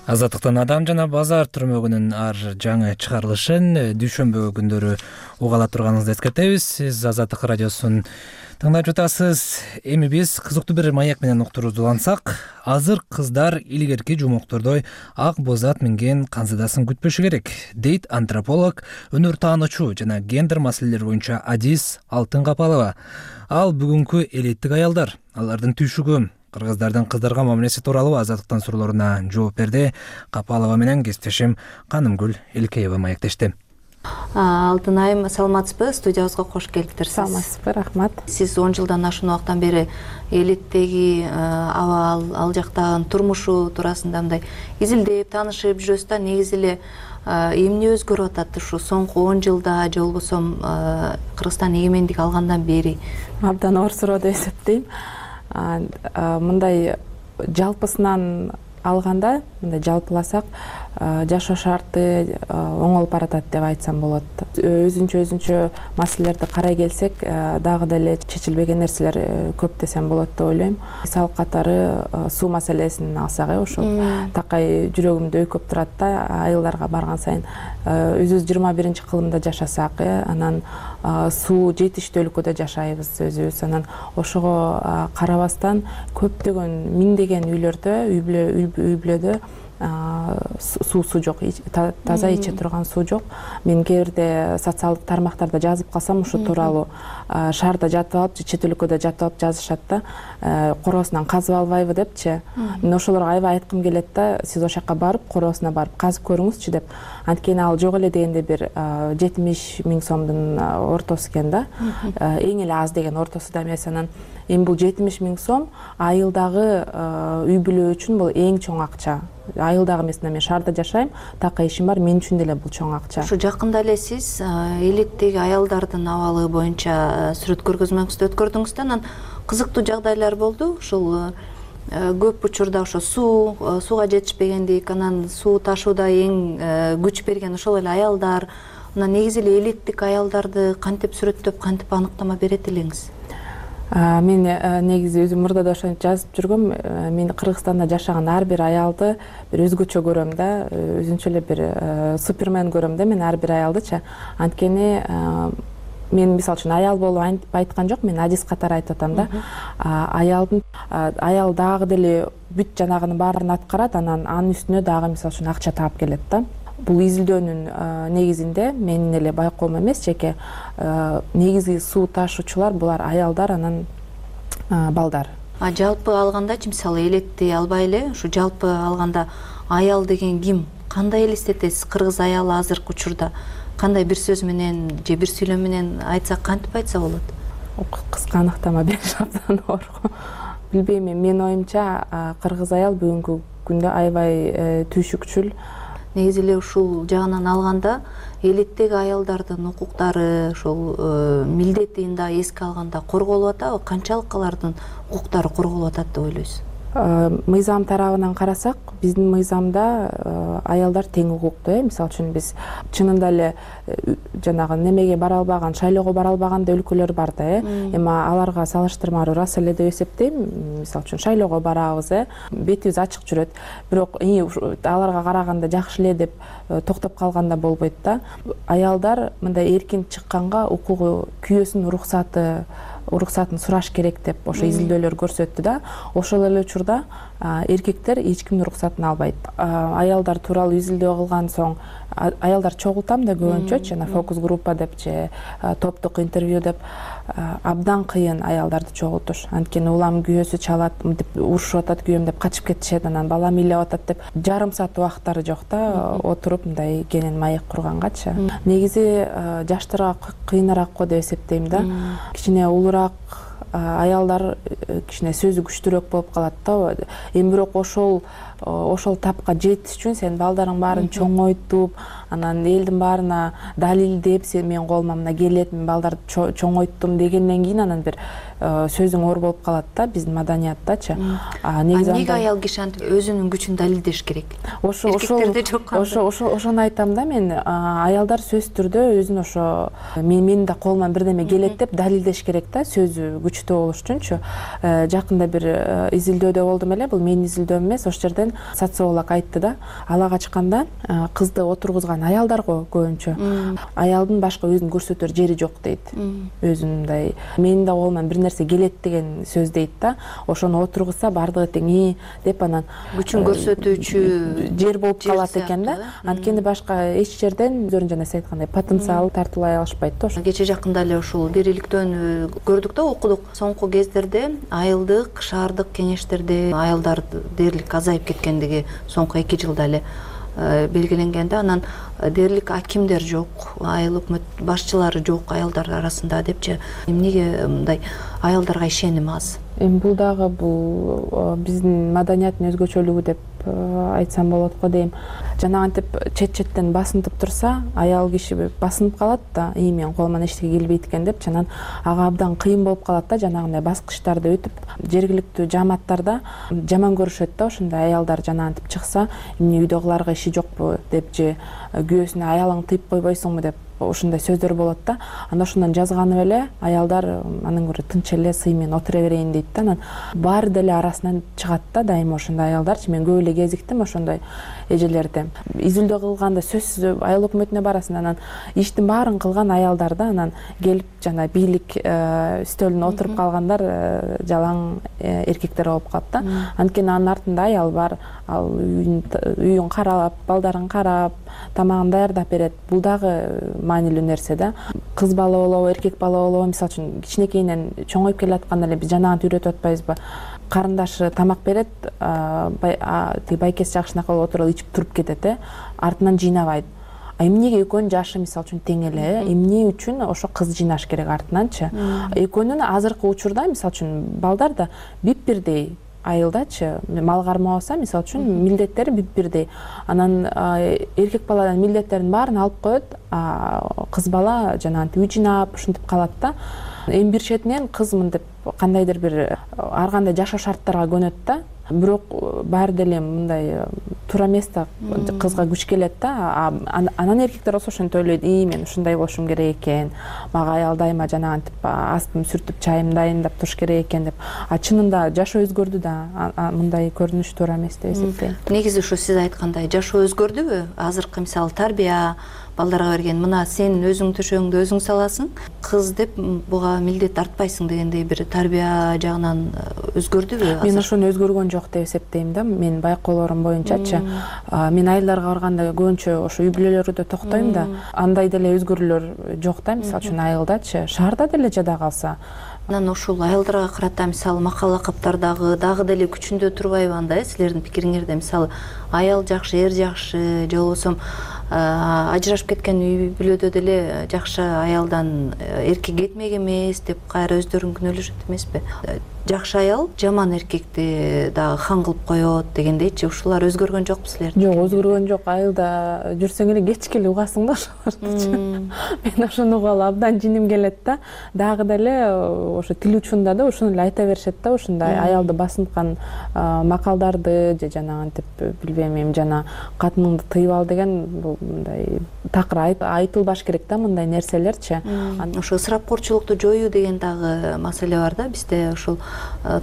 A: Азаттыктан Адам жана базар түрмөгүнүн ар жаңы чыгарылышын дүйшөмбү күндөрү уга ала турганыңызды эскертебиз. Сиз Азаттык радиосун тыңдап жатасыз. Эми биз кызыктуу бир маек менен уктурууну улансак, азыр кыздар илгерки жумоктордой ак боз ат минген канзыдасын күтпөшү керек, дейт антрополог, өнөр таануучу жана гендер маселелери боюнча Адис Алтын Капалова. Ал бүгүнкү элиттик аялдар, алардын түйшүгү, кыргыздардын кыздарга мамилеси тууралуу Азаттыктан суроолоруна жооп берди. Капалова менен кесиптешим Канымгүл Элкеева маектешти.
L: Алтынайым, саламатсызбы? Студиябызга кош келиптирсиз.
F: Саламатсызбы, рахмат.
L: Сиз он жылдан ашуун убакыттан бери элиттеги абал, ал жактагы турмушу туурасында мындай изилдеп, таанышып жүрөсүз да. Негизи эле эмне өзгөрүп атат ушу соңку он жылда же болбосо Кыргызстан эгемендик алгандан бери?
F: Абдан оор суроо деп эсептейм. Мындай жалпысынан алганда, мындай жалпыласак, жашоо шарты оңолуп баратат деп айтсам болот. Өзүнчө өзүнчө маселелерди карай келсек, дагы деле чечилбеген нерселер көп десем болот деп ойлойм. Мисал катары суу маселесин алсак, ошол такай жүрөгүмдү өйкөп турат да, айылдарга барган сайын. Өзүбүз жыйырма биринчи кылымда жашасак, анан суу жетиштүү өлкөдө жашайбыз өзүбүз. Анан ошого карабастан көптөгөн миңдеген үйлөрдө, үй бүлөдө суусу жок, таза иче турган суу жок. Мен кээ бирде социалдык тармактарда жазып калсам ушу тууралуу, шаарда жатып алып же чет өлкөдө жатып алып жазышат да, короосунан казып албайбы депчи. Мен ошолорго аябай айткым келет да, сиз ошол жака барып, короосуна барып казып көрүңүзчү деп. Анткени ал жок эле дегенде бир жетимиш миң сомдун ортосу экен да. Эң эле аз деген ортосу да эмес. Анан эми бул жетимиш миң сом айылдагы үй бүлө үчүн бул эң чоң акча. Айылдагы эмес, мен шаарда жашайм, такай ишим бар, мен үчүн деле бул чоң акча.
L: Ушу жакында эле сиз элиттеги аялдардын абалы боюнча сүрөт көргөзмөңүздү өткөрдүңүз да, анан кызыктуу жагдайлар болду. Ушул көп учурда ошо суу, сууга жетишпегендик, анан суу ташууда эң күч берген ошол эле аялдар. Мына негизи эле элиттик аялдарды кантип сүрөттөп, кантип аныктама берет элеңиз?
F: Мен негизи өзүм мурда да ошентип жазып жүргөм. Мен Кыргызстанда жашаган ар бир аялды бир өзгөчө көрөм да, өзүнчө эле бир супермен көрөм да мен ар бир аялдычы. Анткени мен мисалы үчүн аял болуп айткан жок, мен адис катары айтып атам да. Аялдын аял дагы деле бүт жанагынын баарын аткарат, анан анын үстүнө дагы мисалы үчүн акча таап келет да. Бул изилдөөнүн негизинде менин эле байкоом эмес, жеке негизи суу ташуучулар булар аялдар, анан балдар.
L: А жалпы алгандачы, мисалы элетти албай эле, ушу жалпы алганда аял деген ким? Кандай элестетесиз кыргыз аялы азыркы учурда? Кандай бир сөз менен же бир сүйлөм менен айтсак, кантип айтса болот?
F: Кыска аныктама бериш абдан оор. Билбейм, менин оюмча кыргыз аял бүгүнкү күндө аябай түйшүкчүл.
L: Негизи эле ушул жагынан алганда элиттеги аялдардын укуктары, ошол милдетин да эске алганда корголуп атабы? Канчалык алардын укуктары корголуп атат деп ойлойсуз?
F: Мыйзам тарабынан карасак, биздин мыйзамда аялдар тең укуктуу. Мисалы үчүн биз чынында эле жанагы немеге бара албаган, шайлоого бара албаган да өлкөлөр бар да, эми аларга салыштырмалуу ырас эле деп эсептейм. Мисалы үчүн шайлоого барабыз, бетибиз ачык жүрөт. Бирок аларга караганда жакшы эле деп токтоп калганда болбойт да. Аялдар мындай эркин чыкканга укугу, күйөөсүнүн уруксаты уруксатын сураш керек деп ошо изилдөөлөр көрсөттү да. Ошол эле учурда эркектер эч кимдин уруксатын албайт. Аялдар тууралуу изилдөө кылган соң аялдар чогултам да көбүнчө, жана фокус группа деп же топтук интервью деп абдан кыйын аялдарды чогултуш. Анткени улам күйөөсү чалат, деп урушуп атат күйөөм деп качып кетишет, анан балам ыйлап атат деп жарым саат убактары жок да, отуруп мындай кенен маек кургангачы. Негизи жаштарга кыйыныраак го деп эсептейм да. Кичине улураак аялдар кичине сөзү күчтүүрөөк болуп калат да. Эми бирок ошол ошол тапка жетиш үчүн сен балдарың баарын чоңойтуп, анан элдин баарына далилдеп, сен мен колума мына келет, мен балдарды чоңойттум дегенден кийин анан бир сөзүң оор болуп калат да биздин маданияттачы.
L: Негизи эмнеге аял киши антип өзүнүн күчүн далилдеш керек?
F: Ошо ошо ошону айтам да мен. Аялдар сөзсүз түрдө өзүн ошо менин да колуман бирдеме келет деп далилдеш керек да, сөзү күчтүү болуш үчүнчү. Жакында бир изилдөөдө болдум эле, бул менин изилдөөм эмес, ошол жерден социолог айтты да, ала качканда кызды отургузган аялдар го көбүнчө. Аялдын башка өзүн көрсөтөр жери жок дейт. Өзүн мындай менин да колуман бир нерсе келет деген сөз дейт да. Ошону отургузса бардыгы тең и деп анан
L: күчүн көрсөтүүчү
F: жер болуп калат экен да. Анткени башка эч жерден өздөрүнүн жана сиз айткандай потенциал тартуулай алышпайт да. Ошо
L: кече жакында эле ушул бир иликтөөнү көрдүк да, окудук. Соңку кездерде айылдык, шаардык кеңештерде аялдар дээрлик азайып кеткендиги соңку эки жылда эле белгиленген да. Анан дээрлик акимдер жок, айыл өкмөт башчылары жок аялдар арасында депчи. Эмнеге мындай аялдарга ишеним аз?
F: Эми бул дагы бул биздин маданияттын өзгөчөлүгү деп айтсам болот го дейм. Жанагынтип чет-четтен басынтып турса, аял киши басынып калат да, ии мен колуман эчтеке келбейт экен деп, анан ага абдан кыйын болуп калат да, жанагындай баскычтарды өтүп. Жергиликтүү жааматтарда жаман көрүшөт да, ошондой аялдар жанагынтип чыкса, эмне үйдө кыларга иши жокпу деп же күйөөсүнө аялың тыйып койбойсуңбу деп ушундай сөздөр болот да. Анда ошондон жазганып эле аялдар анан көрө тынч эле сый менен отура берейин дейт да. Анан баары деле арасынан чыгат да дайыма ошондой аялдарчы. Мен көп эле кезиктим ошондой эжелерди. Изилдөө кылганда сөзсүз айыл өкмөтүнө барасың, анан иштин баарын кылган аялдар да, анан келип жана бийлик стөлүнө отуруп калгандар жалаң эркектер болуп калат да. Анткени анын артында аял бар, ал үйүн карап, балдарын карап, тамагын даярдап берет. Бул дагы маанилүү нерсе да. Кыз бала болобу, эркек бала болобу, мисалы үчүн кичинекейинен чоңоюп келатканда эле биз жанагынтип үйрөтүп атпайбызбы? Карындашы тамак берет, тиги байкеси жакшынакы болуп отуруп ичип туруп кетет, э, артынан жыйнабайт. А эмнеге экөөнүн жашы мисалы үчүн тең эле, эмне үчүн ошо кыз жыйнаш керек артынанчы? Экөөнүн азыркы учурда мисалы үчүн балдар да бип бирдей айылдачы, мал кармабаса мисалы үчүн милдеттери бип бирдей. Анан эркек баладан милдеттерин баарын алып коет, кыз бала жанагынтип үй жыйнап ушинтип калат да. Эми бир четинен кыз мынтип кандайдыр бир ар кандай жашоо шарттарга көнөт да. Бирок баары деле мындай туура эмес да, кызга күч келет да. Анан эркектер болсо ошентип ойлойт, ии мен ушундай болушум керек экен, мага аял дайыма жанагынтип астым сүртүп чайым дайындап туруш керек экен деп. А чынында жашоо өзгөрдү да, мындай көрүнүш туура эмес деп эсептейм.
L: Негизи ушу сиз айткандай жашоо өзгөрдүбү? Азыркы мисалы тарбия балдарга берген, мына сен өзүң төшөгүңдү өзүң саласың, кыз деп буга милдет артпайсың дегендей бир тарбия жагынан өзгөрдүбү?
F: Мен ошону өзгөргөн жок деп эсептейм да. Мен байкоолорум боюнчачы, мен айылдарга барганда көбүнчө ошо үй бүлөлөрдө токтойм да. Андай деле өзгөрүүлөр жок да, мисалы үчүн айылдачы, шаарда деле жада калса.
L: Анан ушул айылдарга карата мисалы макал лакаптардагы дагы деле күчүндө турбайбы анда, силердин пикириңерде? Мисалы аял жакшы, эр жакшы, же болбосо ажырашып кеткен үй бүлөдө деле жакшы аялдан эркек кетмек эмес деп кайра өздөрүн күнөөлөшөт эмеспи? Жакшы аял жаман эркекти дагы хан кылып коет дегендейчи. Ушулар өзгөргөн жокпу силерде?
F: Жок, өзгөргөн жок. Айылда жүрсөң эле кечке эле угасың да ошолордучу. Мен ошону угалы абдан жиним келет да. Дагы деле ошо тил учунда да ошону эле айта беришет да, ушундай аялды басынткан макалдарды же жанагынтип билбейм эми жана катыныңды тыйып ал деген бул мындай такыр айтылбаш керек да мындай нерселерчи.
L: Ошо ысырапкорчулукту жоюу деген дагы маселе бар да бизде. Ушул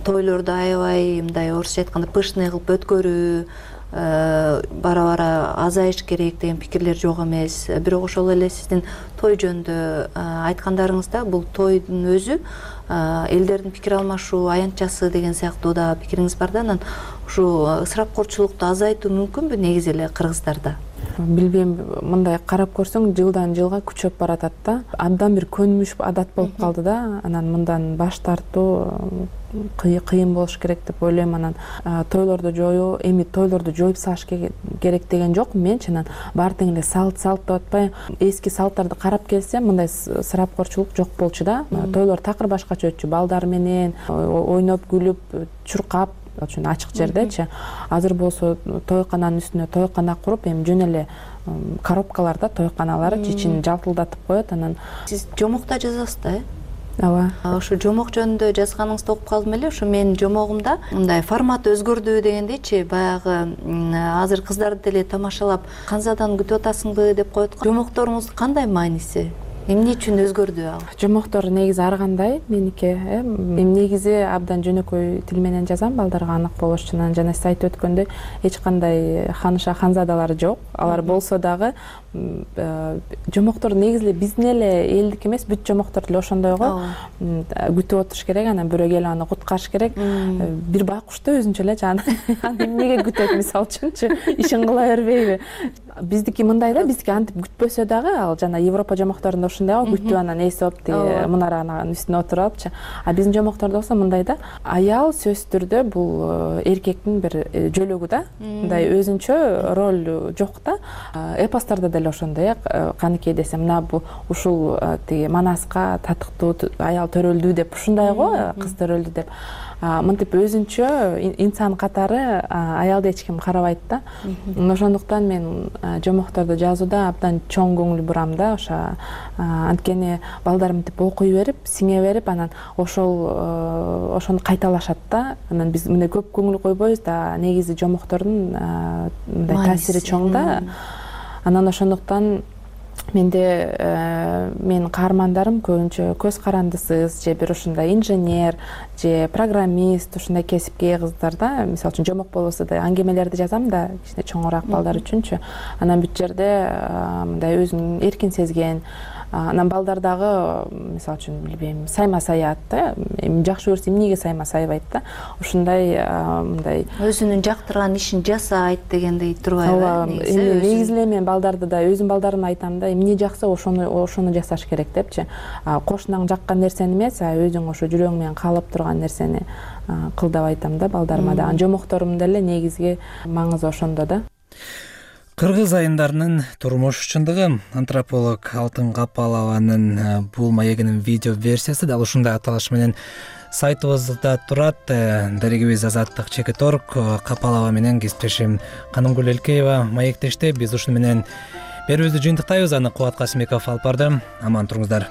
L: тойлорду аябай мындай орусча айтканда пышный кылып өткөрүү бара-бара азайыш керек деген пикирлер жок эмес. Бирок ошол эле сиздин той жөнүндө айткандарыңызда бул тойдун өзү элдердин пикир алмашуу аянтчасы деген сыяктуу да пикириңиз бар да. Анан ушу ысырапкорчулукту азайтуу мүмкүнбү негизи эле кыргыздарда?
F: Билбейм, мындай карап көрсөң жылдан жылга күчөп баратат да. Абдан бир көнүмүш адат болуп калды да. Анан мындан баш тартуу кыйын болуш керек деп ойлойм. Анан тойлорду жоюу, эми тойлорду жоюп салыш керек деген жок менчи. Анан баары тең эле салт салт деп атпай, эски салттарды карап келсе, мындай ысырапкорчулук жок болчу да. Тойлор такыр башкача өтчү, балдар менен ойноп күлүп, чуркап, үчүн ачык жердечи. Азыр болсо тойкананын үстүнө тойкана куруп, эми жөн эле коробкаларда тойканалар ичин жалтылдатып коет. Анан
L: сиз жомокто жазасыз да, э?
F: Ооба.
L: Ошо жомок жөнүндө жазганыңызды окуп калдым эле. Ошо менин жомогумда мындай формат өзгөрдү дегендейчи, баягы азыр кыздарды деле тамашалап, канзадан күтүп атасыңбы деп коет. Жомокторуңуздун кандай мааниси? Эмне үчүн өзгөрдү ал?
F: Жомоктор негизи ар кандай меники, э. Эми негизи абдан жөнөкөй тил менен жазам балдарга анык болуш үчүн. Жана сиз айтып өткөндөй, эч кандай ханыша ханзадалар жок. Алар болсо дагы жомоктор негизи эле биздин эле элдик эмес, бүт жомоктор деле ошондой го. Күтүп отуруш керек, анан бирөө келип аны куткарыш керек. Бир байкуш да өзүнчө эле жана эмнеге күтөт мисалы үчүнчү, ишин кыла бербейби? биздики мындай да, биздики антип күтпөсө дагы, ал жана Европа жомокторунда ушундай го, күтүп анан эсип тиги мунаранын үстүнө отуруп алыпчы. А биздин жомоктордо болсо мындай да, аял сөзсүз түрдө бул эркектин бир жөлөгү да, мындай өзүнчө роль жок да. Эпостарда деле ошондой, каныкей десем, мына бул ушул тиги манаска татыктуу аял төрөлдү деп ушундай го, кыз төрөлдү деп. Мынтип өзүнчө инсан катары аялды эч ким карабайт да. Ошондуктан мен жомокторду жазууда абдан чоң көңүл бурам да. Ошо анткени балдар мынтип окуй берип, сиңе берип, анан ошол ошону кайталашат да. Анан биз мындай көп көңүл койбойбуз да, негизи жомоктордун мындай таасири чоң да. Анан ошондуктан менде менин каармандарым көбүнчө көз карандысыз же бир ушундай инженер же программист, ушундай кесипке ээ кыздар да. Мисалы үчүн жомок болбосо да аңгемелерди жазам да, кичине чоңураак балдар үчүнчү. Анан бүт жерде мындай өзүн эркин сезген, анан балдар дагы мисалы үчүн билбейм, сайма саят да, эми жакшы көрсө эмнеге сайма сайбайт да. Ушундай мындай
L: өзүнүн жактырган ишин жасайт дегендей турбайбы?
F: Эми негизи эле мен балдарды да, өзүм балдарыма айтам да, эмне жакса ошону ошону жасаш керек депчи. Кошунаң жаккан нерсени эмес, а өзүң ошо жүрөгүң менен каалап турган нерсени кыл деп айтам да балдарыма да. Жомокторум деле негизги маңызы ошондо да.
A: Кыргыз айымдарынын турмуш чындыгы, антрополог Алтын Капалованын бул маегинин видео версиясы дал ушундай аталыш менен сайтыбызда турат. Дарегибиз Азаттык Чекиторг Капалова менен кесиптешим Канымгүл Элкеева маектеште. Биз ушуну менен берүүбүздү жыйынтыктайбыз. Аны Кубат Касымбеков алып барды. Аман туруңуздар.